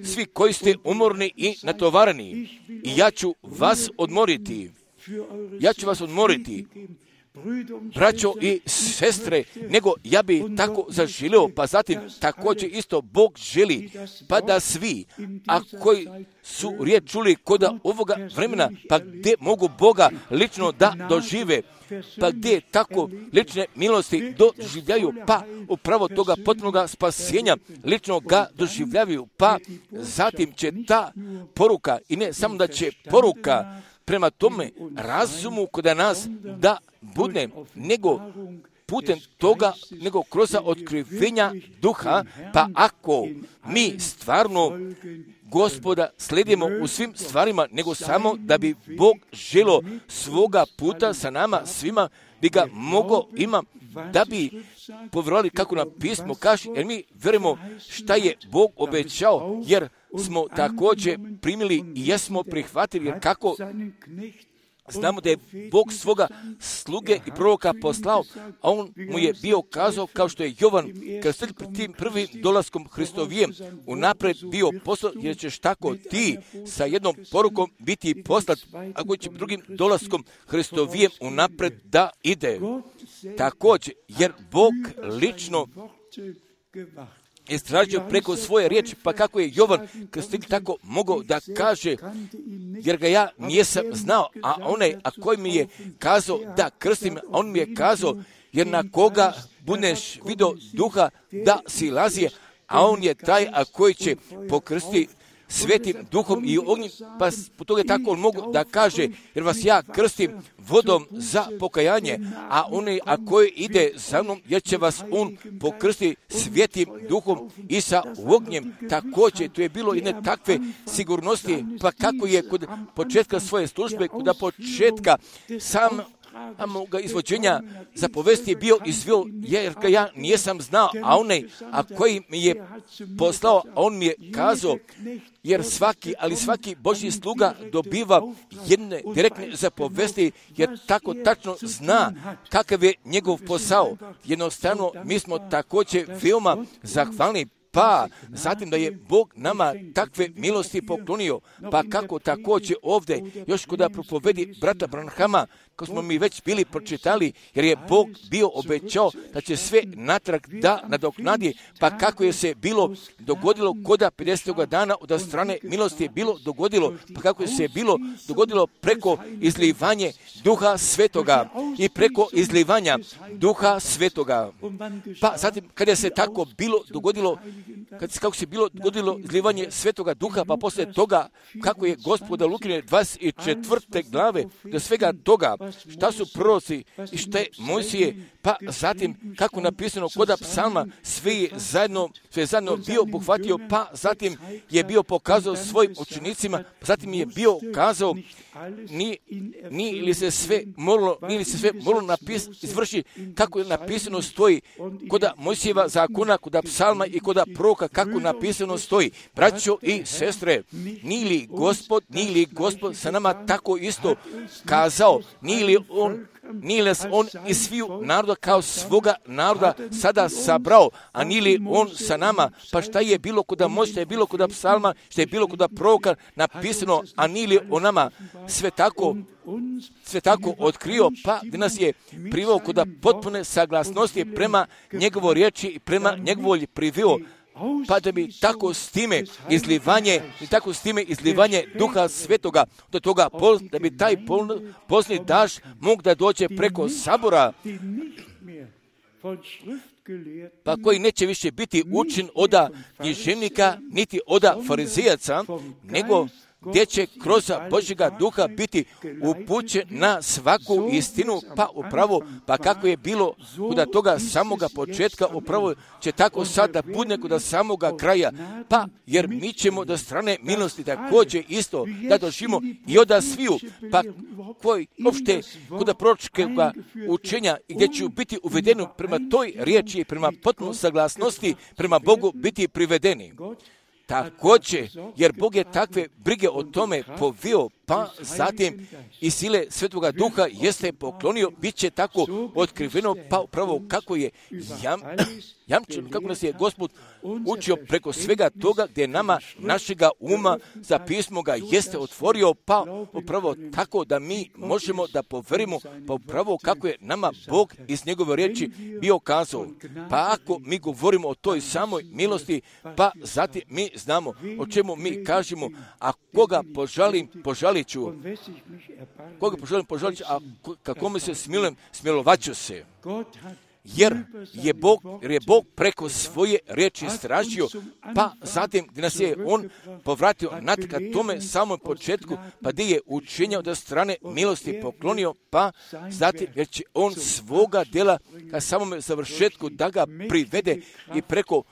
svi koji ste umorni i natovarani, i ja ću vas odmoriti. Ja ću vas odmoriti, braćo i sestre, nego ja bi tako zaželio, pa zatim također isto Bog želi, pa da svi, a koji su riječ čuli kod ovoga vremena, pa gdje mogu Boga lično da dožive, pa gdje tako lične milosti doživljaju, pa upravo toga potpunoga spasenja lično ga doživljavaju, pa zatim će ta poruka, i ne samo da će poruka prema tome razumu kod nas da bude, nego putem toga, nego kroz otkrivenja duha, pa ako mi stvarno Gospoda slijedimo u svim stvarima, nego samo da bi Bog želo svoga puta sa nama svima, bi ga mogo ima, da bi povjerovali kako nam pismo kaže, jer mi vjerujemo šta je Bog obećao, jer smo također primili i jesmo prihvatili, jer kako znamo da je Bog svoga sluge i proroka poslao, a on mu je bio kazao, kao što je Jovan krstitelj pred tim prvim dolaskom Hristovijem unapred bio poslat, jer ćeš tako ti sa jednom porukom biti poslat, ako će drugim dolaskom Hristovijem unapred da ide. Također, jer Bog lično istražio preko svoje riječi, pa kako je Jovan krstitelj tako mogao da kaže, jer ga ja nijesam znao, a onaj, a koji mi je kazao da krstim, on mi je kazao, jer na koga budeš vidio duha da si lazije, a on je taj, a koji će pokrstiti svetim duhom i ognjem, pa po toga tako on mogu da kaže, jer vas ja krstim vodom za pokajanje, a onaj a koji ide za mnom, jer će vas on pokrstiti svetim duhom i sa ognjem. Također, to je bilo jedne takve sigurnosti, pa kako je kod početka svoje službe, kod početka sam moga izvođenja zapovesti je bio izvio, jer ga ja nijesam znao, a onaj, a koji mi je poslao, a on mi je kazao, jer svaki, ali svaki Božji sluga dobiva jedne direktne zapovesti, jer tako tačno zna kakav je njegov posao. Jednostavno, mi smo također veoma zahvalni, pa zatim da je Bog nama takve milosti poklonio, pa kako također ovdje, još kod propovedi brata Branhama, ko smo mi već bili pročitali, jer je Bog bio obećao da će sve natrag da nadoknadi, pa kako je se bilo dogodilo koda pedesetoga dana od strane milosti je bilo dogodilo, pa kako je se bilo dogodilo preko izlivanje Duha Svetoga i preko izlivanja Duha Svetoga. Pa zatim kada se tako bilo dogodilo, kad, kako se bilo dogodilo izlivanje Svetoga Duha, pa poslije toga kako je Gospoda Lukine dvadeset četvrte glave do svega toga, šta su proroci i šta je Mojsije, pa zatim kako napisano koda psalma, sve je zajedno, sve je zajedno bio obuhvatio, pa zatim je bio pokazao svojim učenicima, pa zatim je bio kazao, ni, ni li se sve moralo, ni li se sve moralo napis, izvrši kako je napisano stoji koda Mojsijeva zakona, koda psalma i koda proroka, kako napisano stoji. Braćo i sestre, nije li Gospod, nije li Gospod sa nama tako isto kazao, nije li on nije li on iz sviju naroda kao svoga naroda sada sabrao, a nije li on sa nama, pa šta je bilo kod Mojsija, šta je bilo kod psalma, šta je bilo kod proroka napisano, a nije li on nama sve tako sve tako otkrio, pa da nas je priveo kod potpune saglasnosti prema njegovo riječi i prema njegovoj priveo, pa da bi tako s time izlivanje, i tako s time izlivanje Duha Svetoga do toga, da bi taj posljednji daž mog da dođe preko sabora, pa koji neće više biti učin oda književnika, niti oda farizijaca, nego gdje će kroz Božjega Duha biti upućen na svaku istinu, pa upravo, pa kako je bilo kod toga samoga početka, upravo će tako sad da bude kod samoga kraja, pa jer mi ćemo do strane milosti također isto da doživimo i od sviju, pa koji uopšte kod proročkega učenja gdje će biti uvedeni prema toj riječi i prema potpunoj saglasnosti prema Bogu biti privedeni. Također, jer Bog je takve brige o tome povio, pa zatim i sile Svetoga Duha jeste poklonio, bit će tako otkriveno, pa upravo kako je jam, jamčeno, kako nas je Gospod učio preko svega toga gdje nama našega uma za pismo ga jeste otvorio, pa upravo tako da mi možemo da poverimo, pa upravo kako je nama Bog iz njegove riječi bio kazao. Pa ako mi govorimo o toj samoj milosti, pa zatim mi znamo o čemu mi kažemo, a koga požalim, požalit ću. Koga požalim, požalit ću, a kako mi se smilujem, smilovat ću se. Jer je Bog, jer je Bog preko svoje riječi stražio, pa zatim gdje nas je On povratio natka tome samom početku, pa gdje je učenja od strane milosti poklonio, pa zatim jer će On svoga djela ka samome završetku da ga privede i preko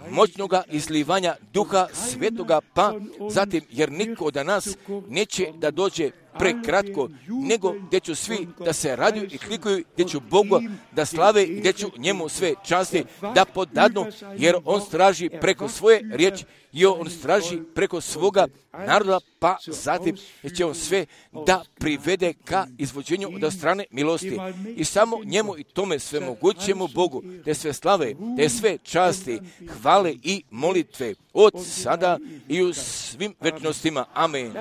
moćnoga izlivanja Duha Svetoga, pa zatim jer niko od nas neće da dođe prekratko, nego gdje ću svi da se raduju i klikuju, gdje ću Bogu da slave i gdje ću njemu sve časti da podadnu, jer on straži preko svoje riječi i on straži preko svoga naroda, pa zatim će on sve da privede ka izvođenju od strane milosti. I samo njemu i tome sve mogućemu Bogu, da je sve slave, da je sve časti, hvale i molitve od sada i u svim večnostima. Amen.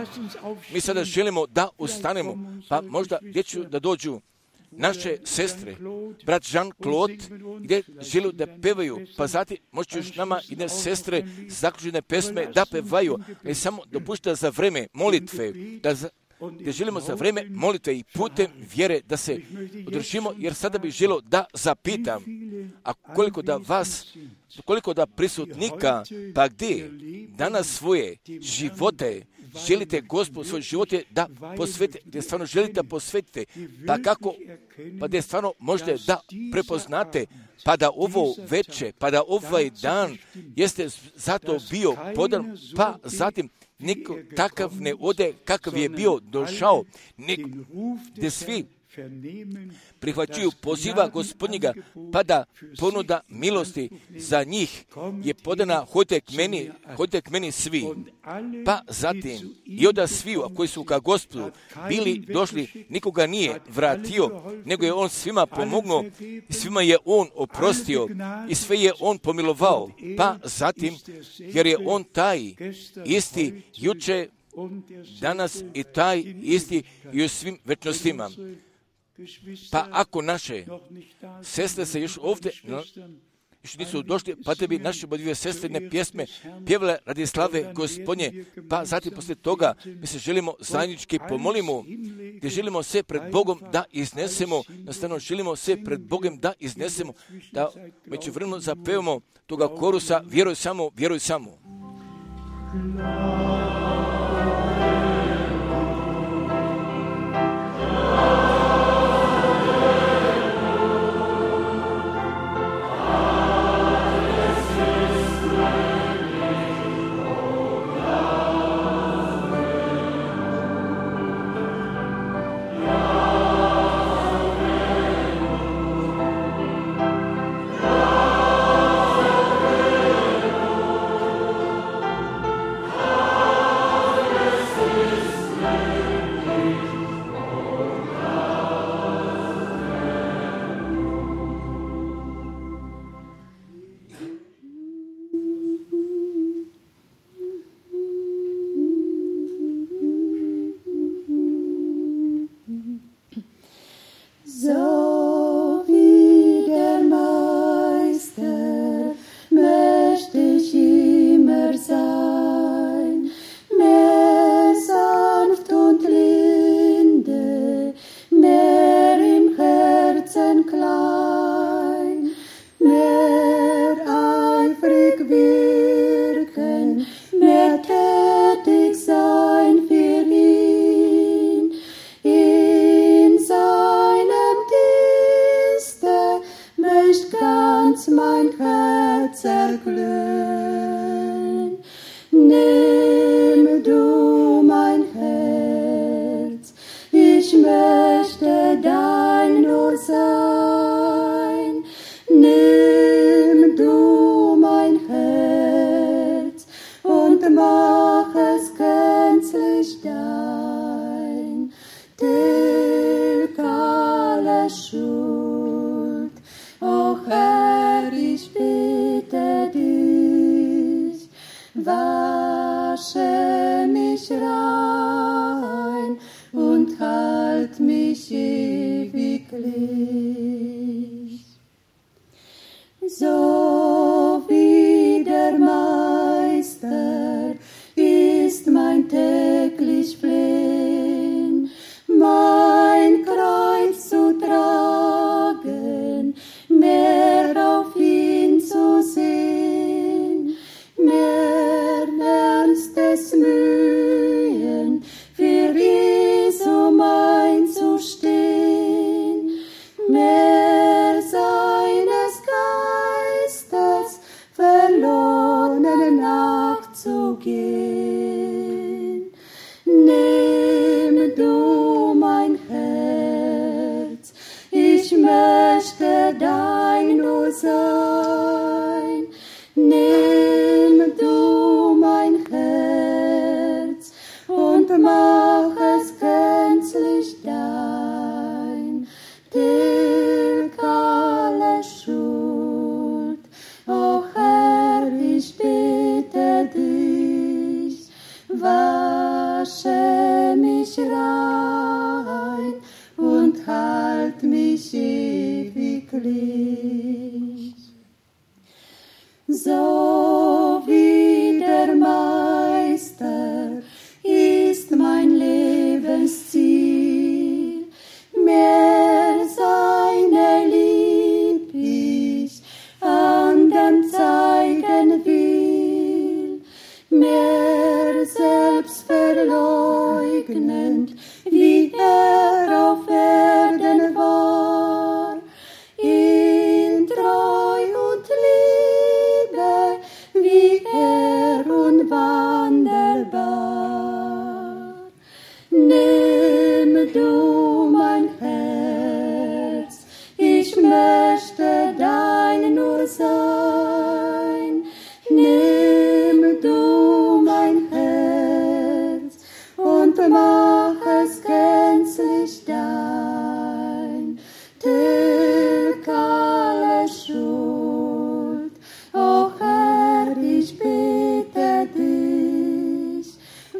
Mi sada želimo da ustanemo, pa možda gdje ću da dođu naše sestre, brat Jean-Claude, gdje žele da pevaju, pa zatim možete još nama jedne sestre zaključene pesme da pevaju, ali samo dopušta za vreme molitve, da za, gdje želimo za vreme molitve i putem vjere da se održimo, jer sada bih želio da zapitam, a koliko da vas, koliko da prisutnika, pa gdje danas svoje živote želite Gospodu, svoje živote da posvetite, gdje stvarno želite da posvetite, pa kako, pa gdje stvarno možete da prepoznate, pa da ovo veče, pa da ovaj dan jeste zato bio podan, pa zatim niko takav ne ode kakav je bio došao, nek, gdje svi prihvaćuju poziva Gospodnjega, pa da ponuda milosti za njih je podana, hodite k meni, hodite k meni svi. Pa zatim i onda svi koji su ka Gospodu bili došli, nikoga nije vratio, nego je on svima pomognuo, svima je on oprostio i sve je on pomilovao. Pa zatim, jer je on taj isti juče, danas i taj isti i u svim večnostima. Pa ako naše sestre se još ovdje no, još nisu došli, pa da bi naše dvije sestrine pjesme pjevale radi slave Gospodnje, pa zatim poslije toga mi se želimo zajednički pomolimo, gdje želimo se pred Bogom da iznesemo, nastavno želimo se pred Bogom da iznesemo, da među vremenu zapevamo toga korusa, vjeruj samo, vjeruj samo.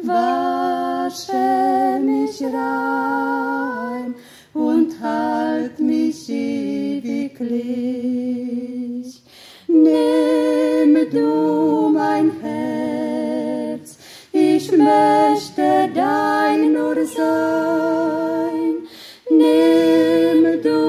wasche mich rein und halt mich ewiglich. Nimm du mein Herz, ich möchte dein nur sein. Nimm du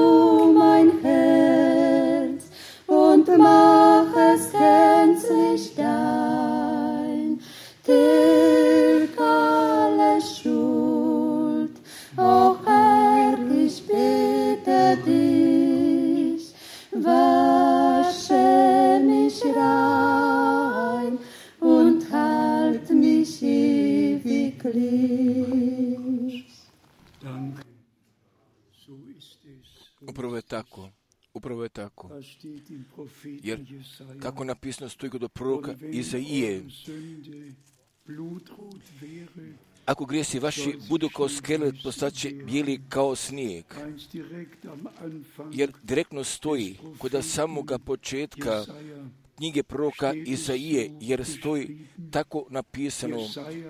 mein Herz und mach es gänzlich dein. Tilg alle Schuld, o Herr, ich bitte dich, wasche mich rein und halt mich ewiglich. Danke. So ist es. Upravo je tako. Upravo je tako. Was steht im Propheten Jer Jesaja? kako napisano stoji kod proroka Und wenn Izaije, eure Sünde blutrot wäre, ako grijesi vaši budu kao skelet, postaće bijeli kao snijeg. ganz direkt am Anfang Jer direktno stoji kod samoga početka Jesaja, knjige proroka Izaije, jer stoji tako napisano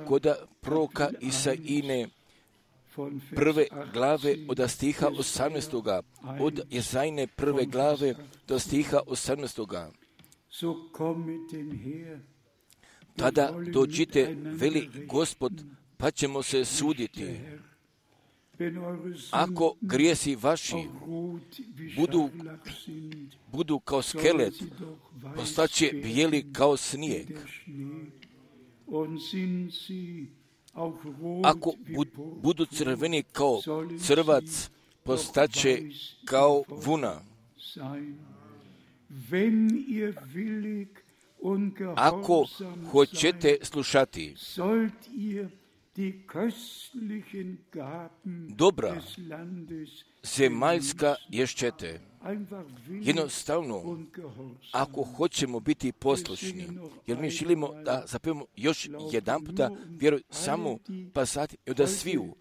kod proroka Isaijine von Vers prve glave achtzehn od stiha osamnaestoga. Od Jezajne prve glave do stiha osamnaestoga. So kommet denn her, Tada dođite, veli Gospod, pa ćemo se suditi. wenn eure Ako Sünden grijesi vaši auch rot wie budu, Scharlach sind, budu kao sollen skelet, sie doch weiß postaće bijeli kao snijeg. der Schnee. Und sind sie auch rot Ako wie bud, Purpur, budu crveni kao sollen crvac, sie postaće doch weiß kao wie vuna. sein. Wenn ihr willig und Ako gehorsam hoćete seid, slušati sollt ihr die köstlichen Gaben dobra des Landes zemaljska ješćete. einfach willig Jednostavno, und gehorsam. ako hoćemo biti poslušni, jer mi želimo da zapevamo još jedan puta, vjeruj samo pa sati i da sviju.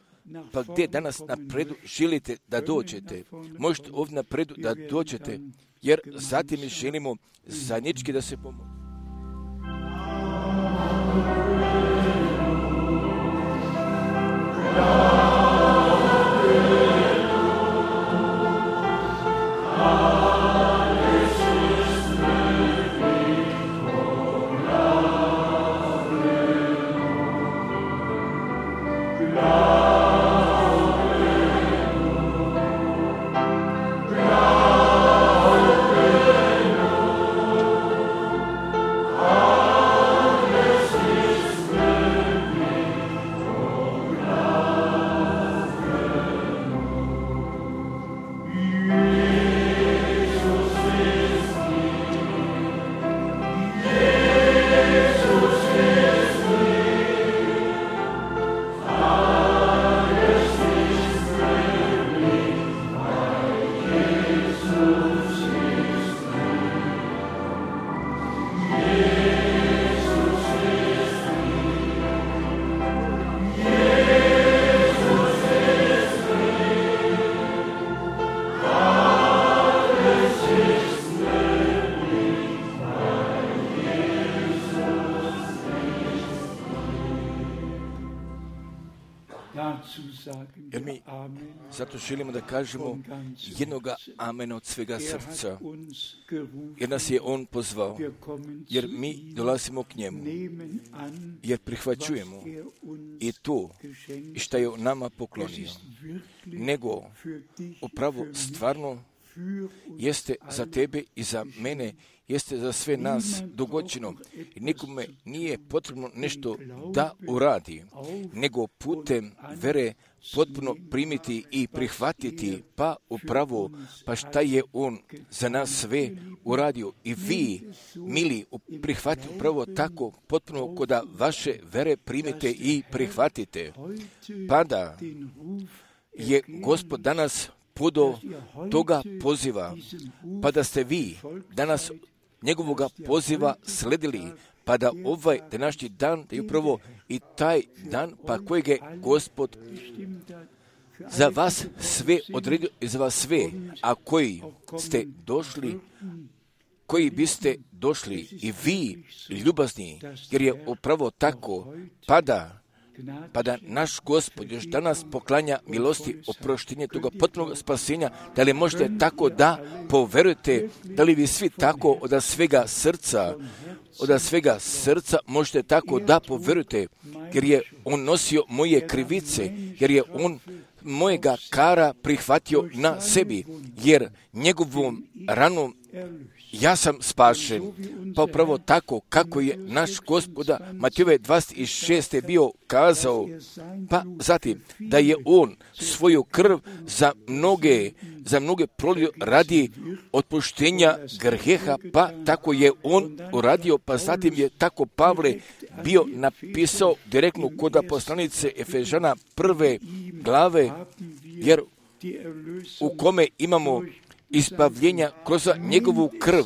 Pa gdje danas napredu želite da dođete? Možete ovdje napredu da dođete, jer zatim mi želimo zajednički da se pomoći. Jer mi zato želimo da kažemo jednoga amena od svega srca, jer nas je On pozvao, jer mi dolazimo k njemu, jer prihvaćujemo i to i što je nama poklonio, nego upravo stvarno jeste za tebe i za mene, jeste za sve nas dogođeno. I nikome nije potrebno nešto da uradi, nego putem vere potpuno primiti i prihvatiti, pa upravo, pa šta je On za nas sve uradio. I vi, mili, prihvatite upravo tako, potpuno koda vaše vere primite i prihvatite. Pa da je Gospod danas podo toga poziva, pa da ste vi danas njegovoga poziva sledili, pa da ovaj današnji dan, da je upravo i taj dan, pa kojeg je Gospod za vas sve odredio i za vas sve, a koji ste došli, koji biste došli i vi ljubazni, jer je upravo tako, pa da pa da naš Gospod još danas poklanja milosti, oproštenje toga potpunog spasenja. Da li možete tako da poverujete, da li vi svi tako od svega srca, od svega srca možete tako da poverujete, jer je on nosio moje krivice, jer je on mojega kara prihvatio na sebi, jer njegovom ranom ja sam spašen. Pa upravo tako kako je naš Gospoda Matejove dvadeset šeste bio kazao, pa zatim da je on svoju krv za mnoge, za mnoge prolio radi otpuštenja grijeha, pa tako je on uradio, pa zatim je tako Pavle bio napisao direktno kod poslanice Efežana prve glave, jer u kome imamo izbavljenja kroz njegovu krv.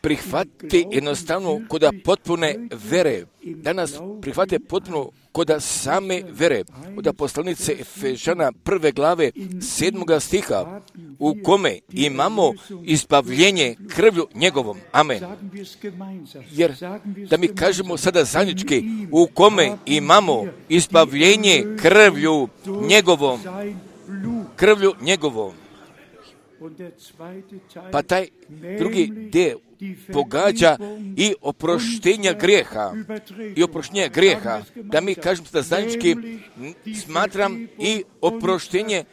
Prihvate jednostavno kod potpune vere. Danas prihvate potpuno kod same vere. Od poslanice Efežana prve glave sedmoga stiha, u kome imamo izbavljenje krvlju njegovom. Amen. Jer da mi kažemo sada zajednički, u kome imamo izbavljenje krvlju njegovom. Krvlju njegovom. Pa taj drugi dio pogađa i oproštenja grijeha. I oproštenja grijeha. Da mi kažemo da zajednički smatram i oproštenje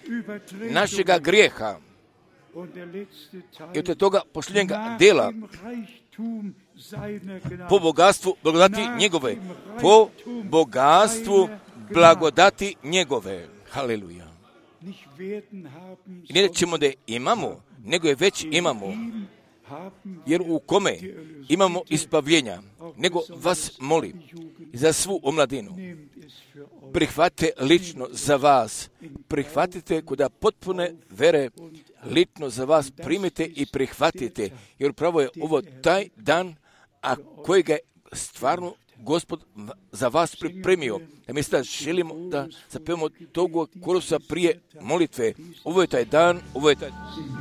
našega grijeha. I od toga posljednjega dela po bogatstvu blagodati njegove. Po bogatstvu blagodati njegove. Haleluja. I ne ćemo da imamo, nego je već imamo, jer u kome imamo ispavljenja, nego vas molim za svu omladinu, prihvatite lično za vas, prihvatite kuda potpune vere, lično za vas primite i prihvatite, jer upravo je ovo taj dan, a kojega je stvarno Gospod za vas pripremio. Ja mislim da želimo da zapevamo tog korusa prije molitve. Ovo je taj dan, ovo je taj dan.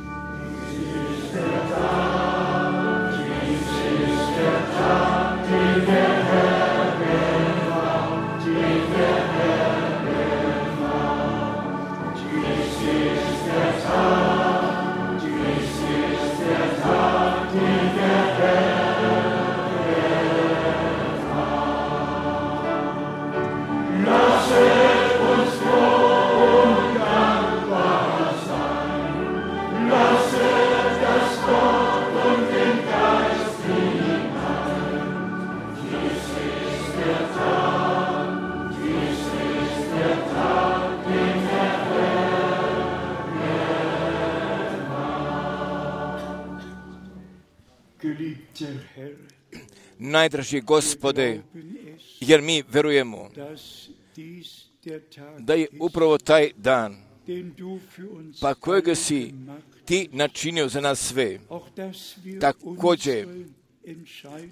Najdraži Gospode, jer mi verujemo da je upravo taj dan, pa kojega si ti načinio za nas sve, također,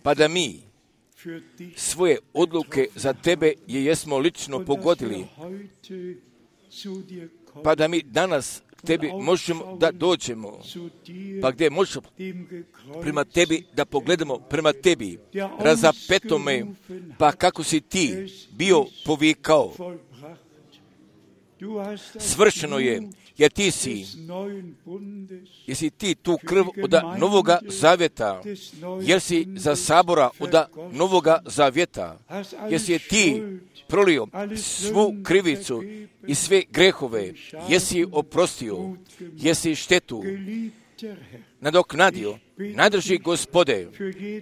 pa da mi svoje odluke za tebe je jesmo lično pogodili, pa da mi danas tebi možemo da dođemo, pa gdje možemo prema tebi da pogledamo prema tebi, razapetome, pa kako si ti bio povikao. Svršeno je, jer ti si, jesi ti tu krv od Novoga Zavjeta, jer si za sabora od Novoga Zavjeta, jesi ti prolio svu krivicu i sve grehove, jesi oprostio, jesi štetu nadoknadio. Najdrži Gospode,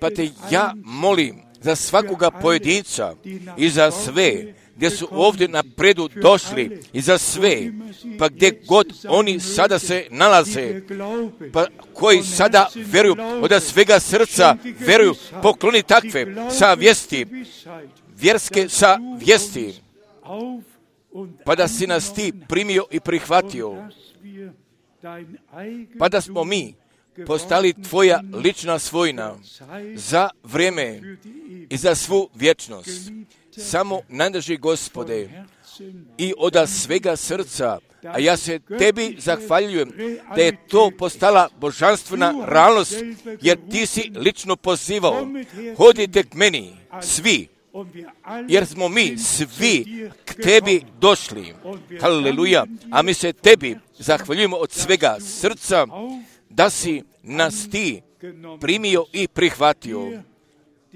pa te ja molim za svakoga pojedinca i za sve gdje su ovdje napredu došli i za sve, pa gdje god oni sada se nalaze, pa koji sada vjeruju od svega srca, vjeruju, pokloni takve sa vijesti, vjerske sa vijesti, pa da si nas ti primio i prihvatio, pa da smo mi postali tvoja lična svojina za vrijeme i za svu vječnost. Samo najdrži Gospode i od svega srca, a ja se tebi zahvaljujem da je to postala božanstvena realnost, jer ti si lično pozivao, hodite k meni, svi jer smo mi svi k tebi došli. Haleluja. A mi se tebi zahvaljujemo od svega srca da si nas ti primio i prihvatio.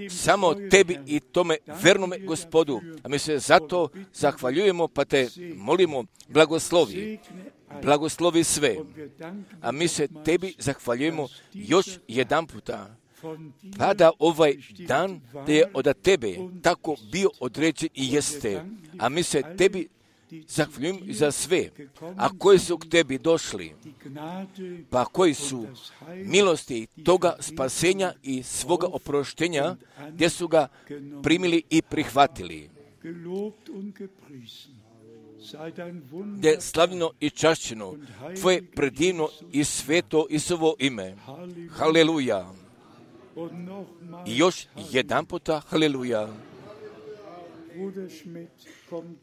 Samo tebi i tome vernome Gospodu. A mi se zato zahvaljujemo, pa te molimo, blagoslovi. Blagoslovi sve. A mi se tebi zahvaljujemo još jedan puta. Pa da ovaj dan da je od tebe tako bio određen i jeste. A mi se tebi zahvaljujemo za sve. A koji su k tebi došli, pa koji su milosti toga spasenja i svoga oproštenja, gdje su ga primili i prihvatili. Gdje slavljeno i čašćeno tvoje predivno i sveto Isusovo ime. Haleluja. I još jedan puta, haleluja.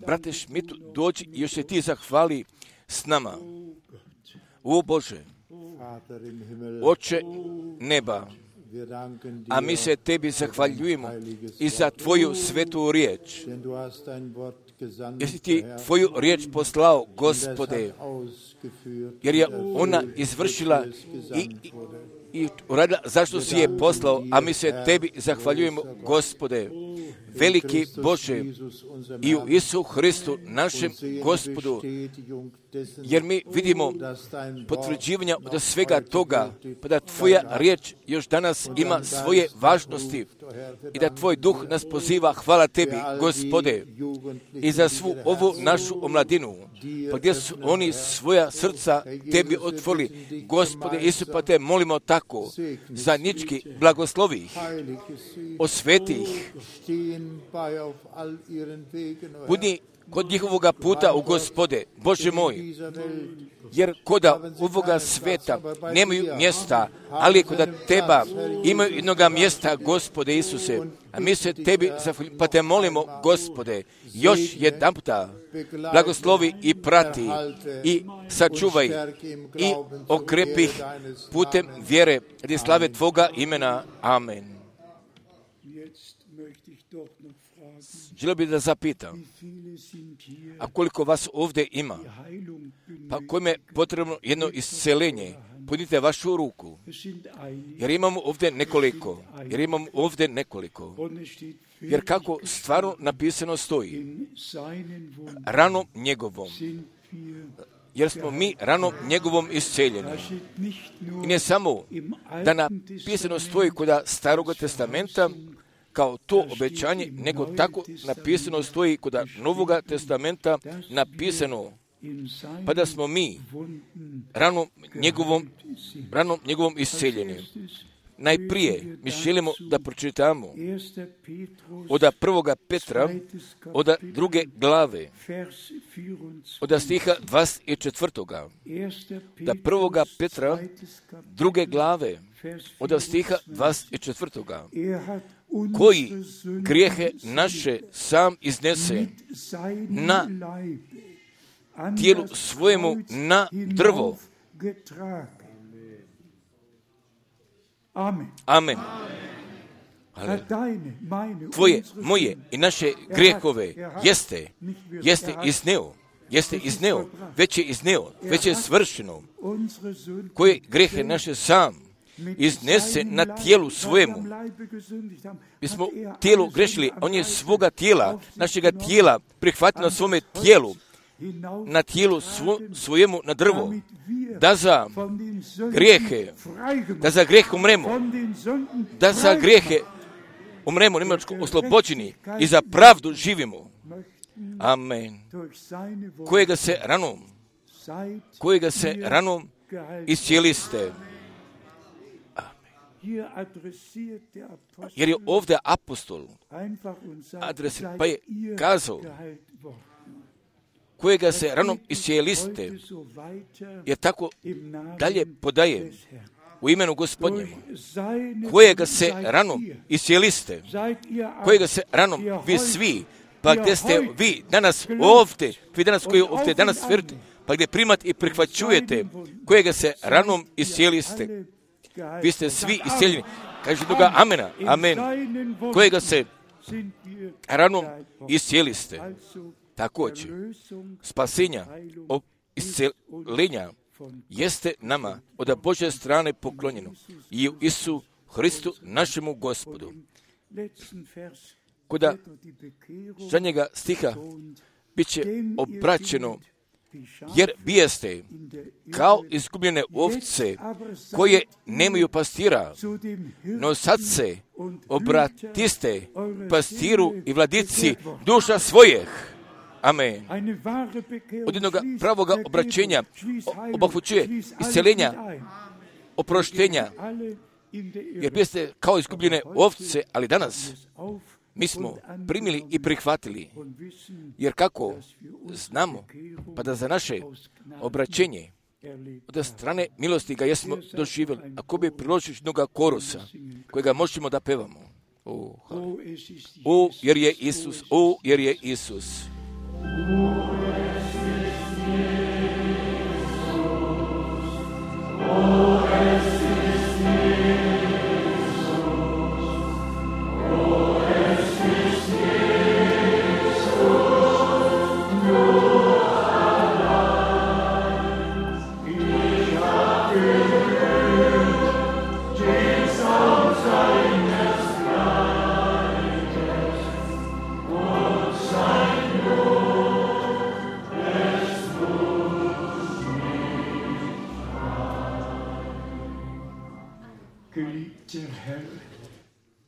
Brate Šmit, dođi i još se ti zahvali s nama. O Bože, Oče neba, a mi se tebi zahvaljujemo i za tvoju svetu riječ. Jesi ti tvoju riječ poslao, Gospode, jer je ona izvršila i, i, i uradila zašto si je poslao, a mi se tebi zahvaljujemo, Gospode, veliki Bože, i u Isu Hristu, našem Gospodu, jer mi vidimo potvrđivanja od svega toga, pa da tvoja riječ još danas ima svoje važnosti i da tvoj duh nas poziva. Hvala tebi, Gospode, i za svu ovu našu omladinu, pa gdje su oni svoja srca tebi otvorili. Gospode Isu, pa te molimo tako, zajednički blagoslovi ih, osveti ih, budi kod njihovoga puta u Gospode, Bože moj, jer koda ovoga sveta nemaju mjesta, ali koda teba imaju jednoga mjesta, Gospode Isuse, a mi se tebi zahvaljujemo, pa te molimo, Gospode, još jedan puta blagoslovi i prati i sačuvaj i okrepi ih putem vjere radi slave tvoga imena. Amen. Želio bih da zapitam, a koliko vas ovdje ima, pa kojim je potrebno jedno isceljenje, podnite vašu ruku, jer imamo ovdje nekoliko, jer imamo ovdje nekoliko, jer kako stvarno napisano stoji, ranom njegovom, jer smo mi ranom njegovom isceljeni. I ne samo da napisano stoji kod Staroga testamenta, kao to obećanje, nego tako napisano stoji kod Novoga testamenta napisano, pa da smo mi ranom njegovom, ranom njegovom isceljeni. Najprije mi želimo da pročitamo od prvoga Petra, od druge glave, od stiha dvadeset četvrtoga. Da prvoga Petra, druge glave, od stiha dvadeset četvrtoga. Koji grijehe naše sam iznese na tijelu svojemu na drvo. Amen. Tvoje, moje i naše grijehove jeste, jeste izneo, jeste izneo, već je izneo, već je svršeno. Koje grijehe naše sam iznese na tijelu svojemu. Mi smo tijelu grešili, on je svoga tijela, našega tijela prihvatio na svome tijelu, na tijelu svo, svojemu na drvo, da za grijehe, da za grijeh umremo, da za grijehe umremo, nemačko oslobođeni i za pravdu živimo. Amen. Kojega se ranom, kojega se ranom iscijeliste. Jer je ovdje apostol adresi, pa je kazao, kojega se ranom iscijeliste, jer tako dalje podaje u imenu Gospodnjem, kojega se ranom iscijeliste, kojega se ranom vi svi, pa gdje ste vi danas ovdje, vi danas koji ovdje danas vjerujete, pa gdje primate i prihvaćujete, kojega se ranom iscijeliste, vi ste svi iscijeljeni. Kaže toga amena, amen, kojega se ranom iscijeli ste. Također, spasenja, isceljenja jeste nama od Božje strane poklonjeno i u Isu Hristu našemu Gospodu. Kuda zadnjega stiha bit će obraćeno, jer bijeste kao izgubljene ovce koje nemaju pastira, no sad se obratiste pastiru i vladici duša svojih. Amen. Od jednog pravoga obraćenja obuhvaćuje isceljenja, oproštenja, jer biste kao izgubljene ovce, ali danas mi smo primili i prihvatili, jer kako znamo, pa da za naše obraćenje od strane milosti ga jesmo doživjeli, ako bi priložili jednoga korusa kojega možemo da pevamo. O, o, jer je Isus, o, jer je Isus.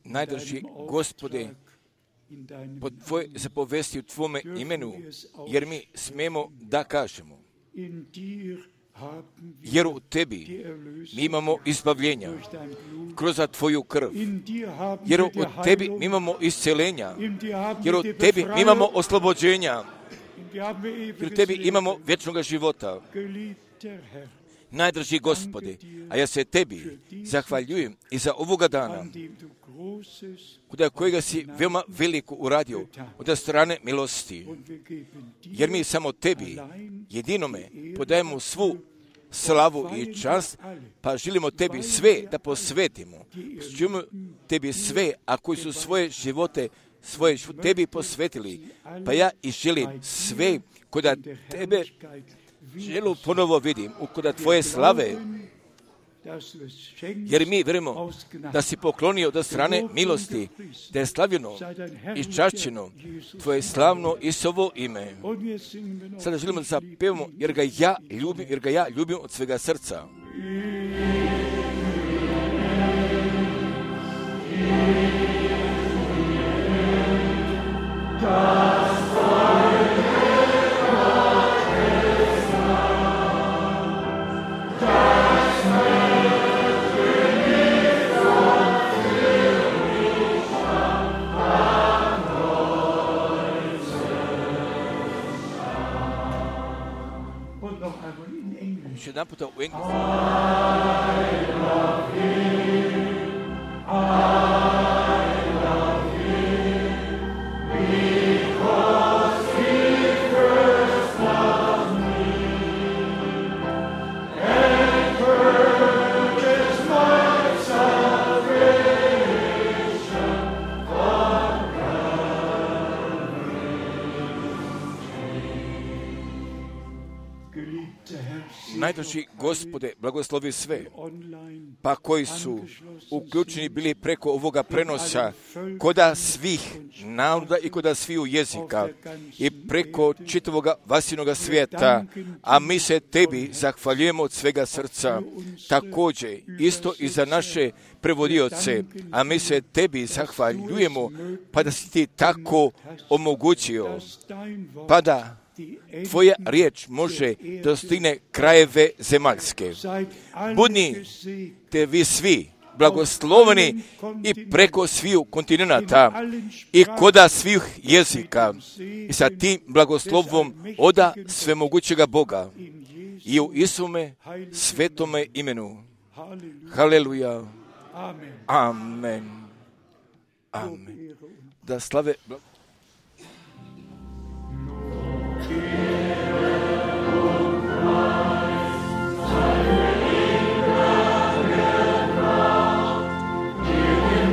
Najdrži Gospode, po Tvoje zapovesti u Tvome imenu, jer mi smemo da kažemo, jer u Tebi mi imamo izbavljenja kroz Tvoju krv, jer u Tebi mi imamo isceljenja, jer u Tebi mi imamo oslobođenja, jer u Tebi imamo vječnog života. Najdrži Gospode, a ja se Tebi zahvaljujem i za ovoga dana, kuda kojega si veoma veliko uradio od strane milosti, jer mi samo Tebi, jedinome, podajemo svu slavu i čast, pa želimo Tebi sve da posvetimo. Želimo Tebi sve, a koji su svoje živote, svoje živote Tebi posvetili, pa ja i želim sve kuda Tebe želu ponovo vidim, ukuda Tvoje slave, jer mi vjerujemo da si poklonio od strane milosti, da je slavljeno i čašćeno Tvoje slavno Isovo ime. Sada želimo da zapevamo, jer ga ja ljubim, jer ga ja ljubim od svega srca. Još jedan puta u engleskom. Najdrži Gospode, blagoslovi sve, pa koji su uključeni bili preko ovoga prenosa koda svih naroda i koda sviju jezika i preko čitavoga vasinoga svijeta, a mi se Tebi zahvaljujemo od svega srca, također isto i za naše prevodioce, a mi se Tebi zahvaljujemo, pa da si Ti tako omogućio, pa da Tvoja riječ može dostigne krajeve zemaljske. Budni te vi svi blagosloveni i preko sviju kontinenta i koda svih jezika i sa tim blagoslovom oda svemogućega Boga i u Isume svetome imenu. Haleluja. Amen. Amen. Da slave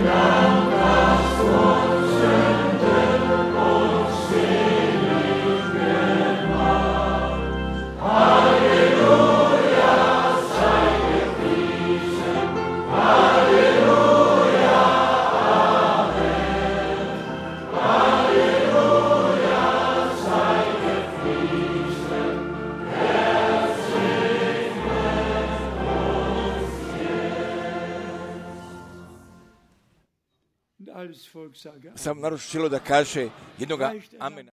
Dank, dass uns alles Volk sage Sam narod želio da kaže jednoga amena.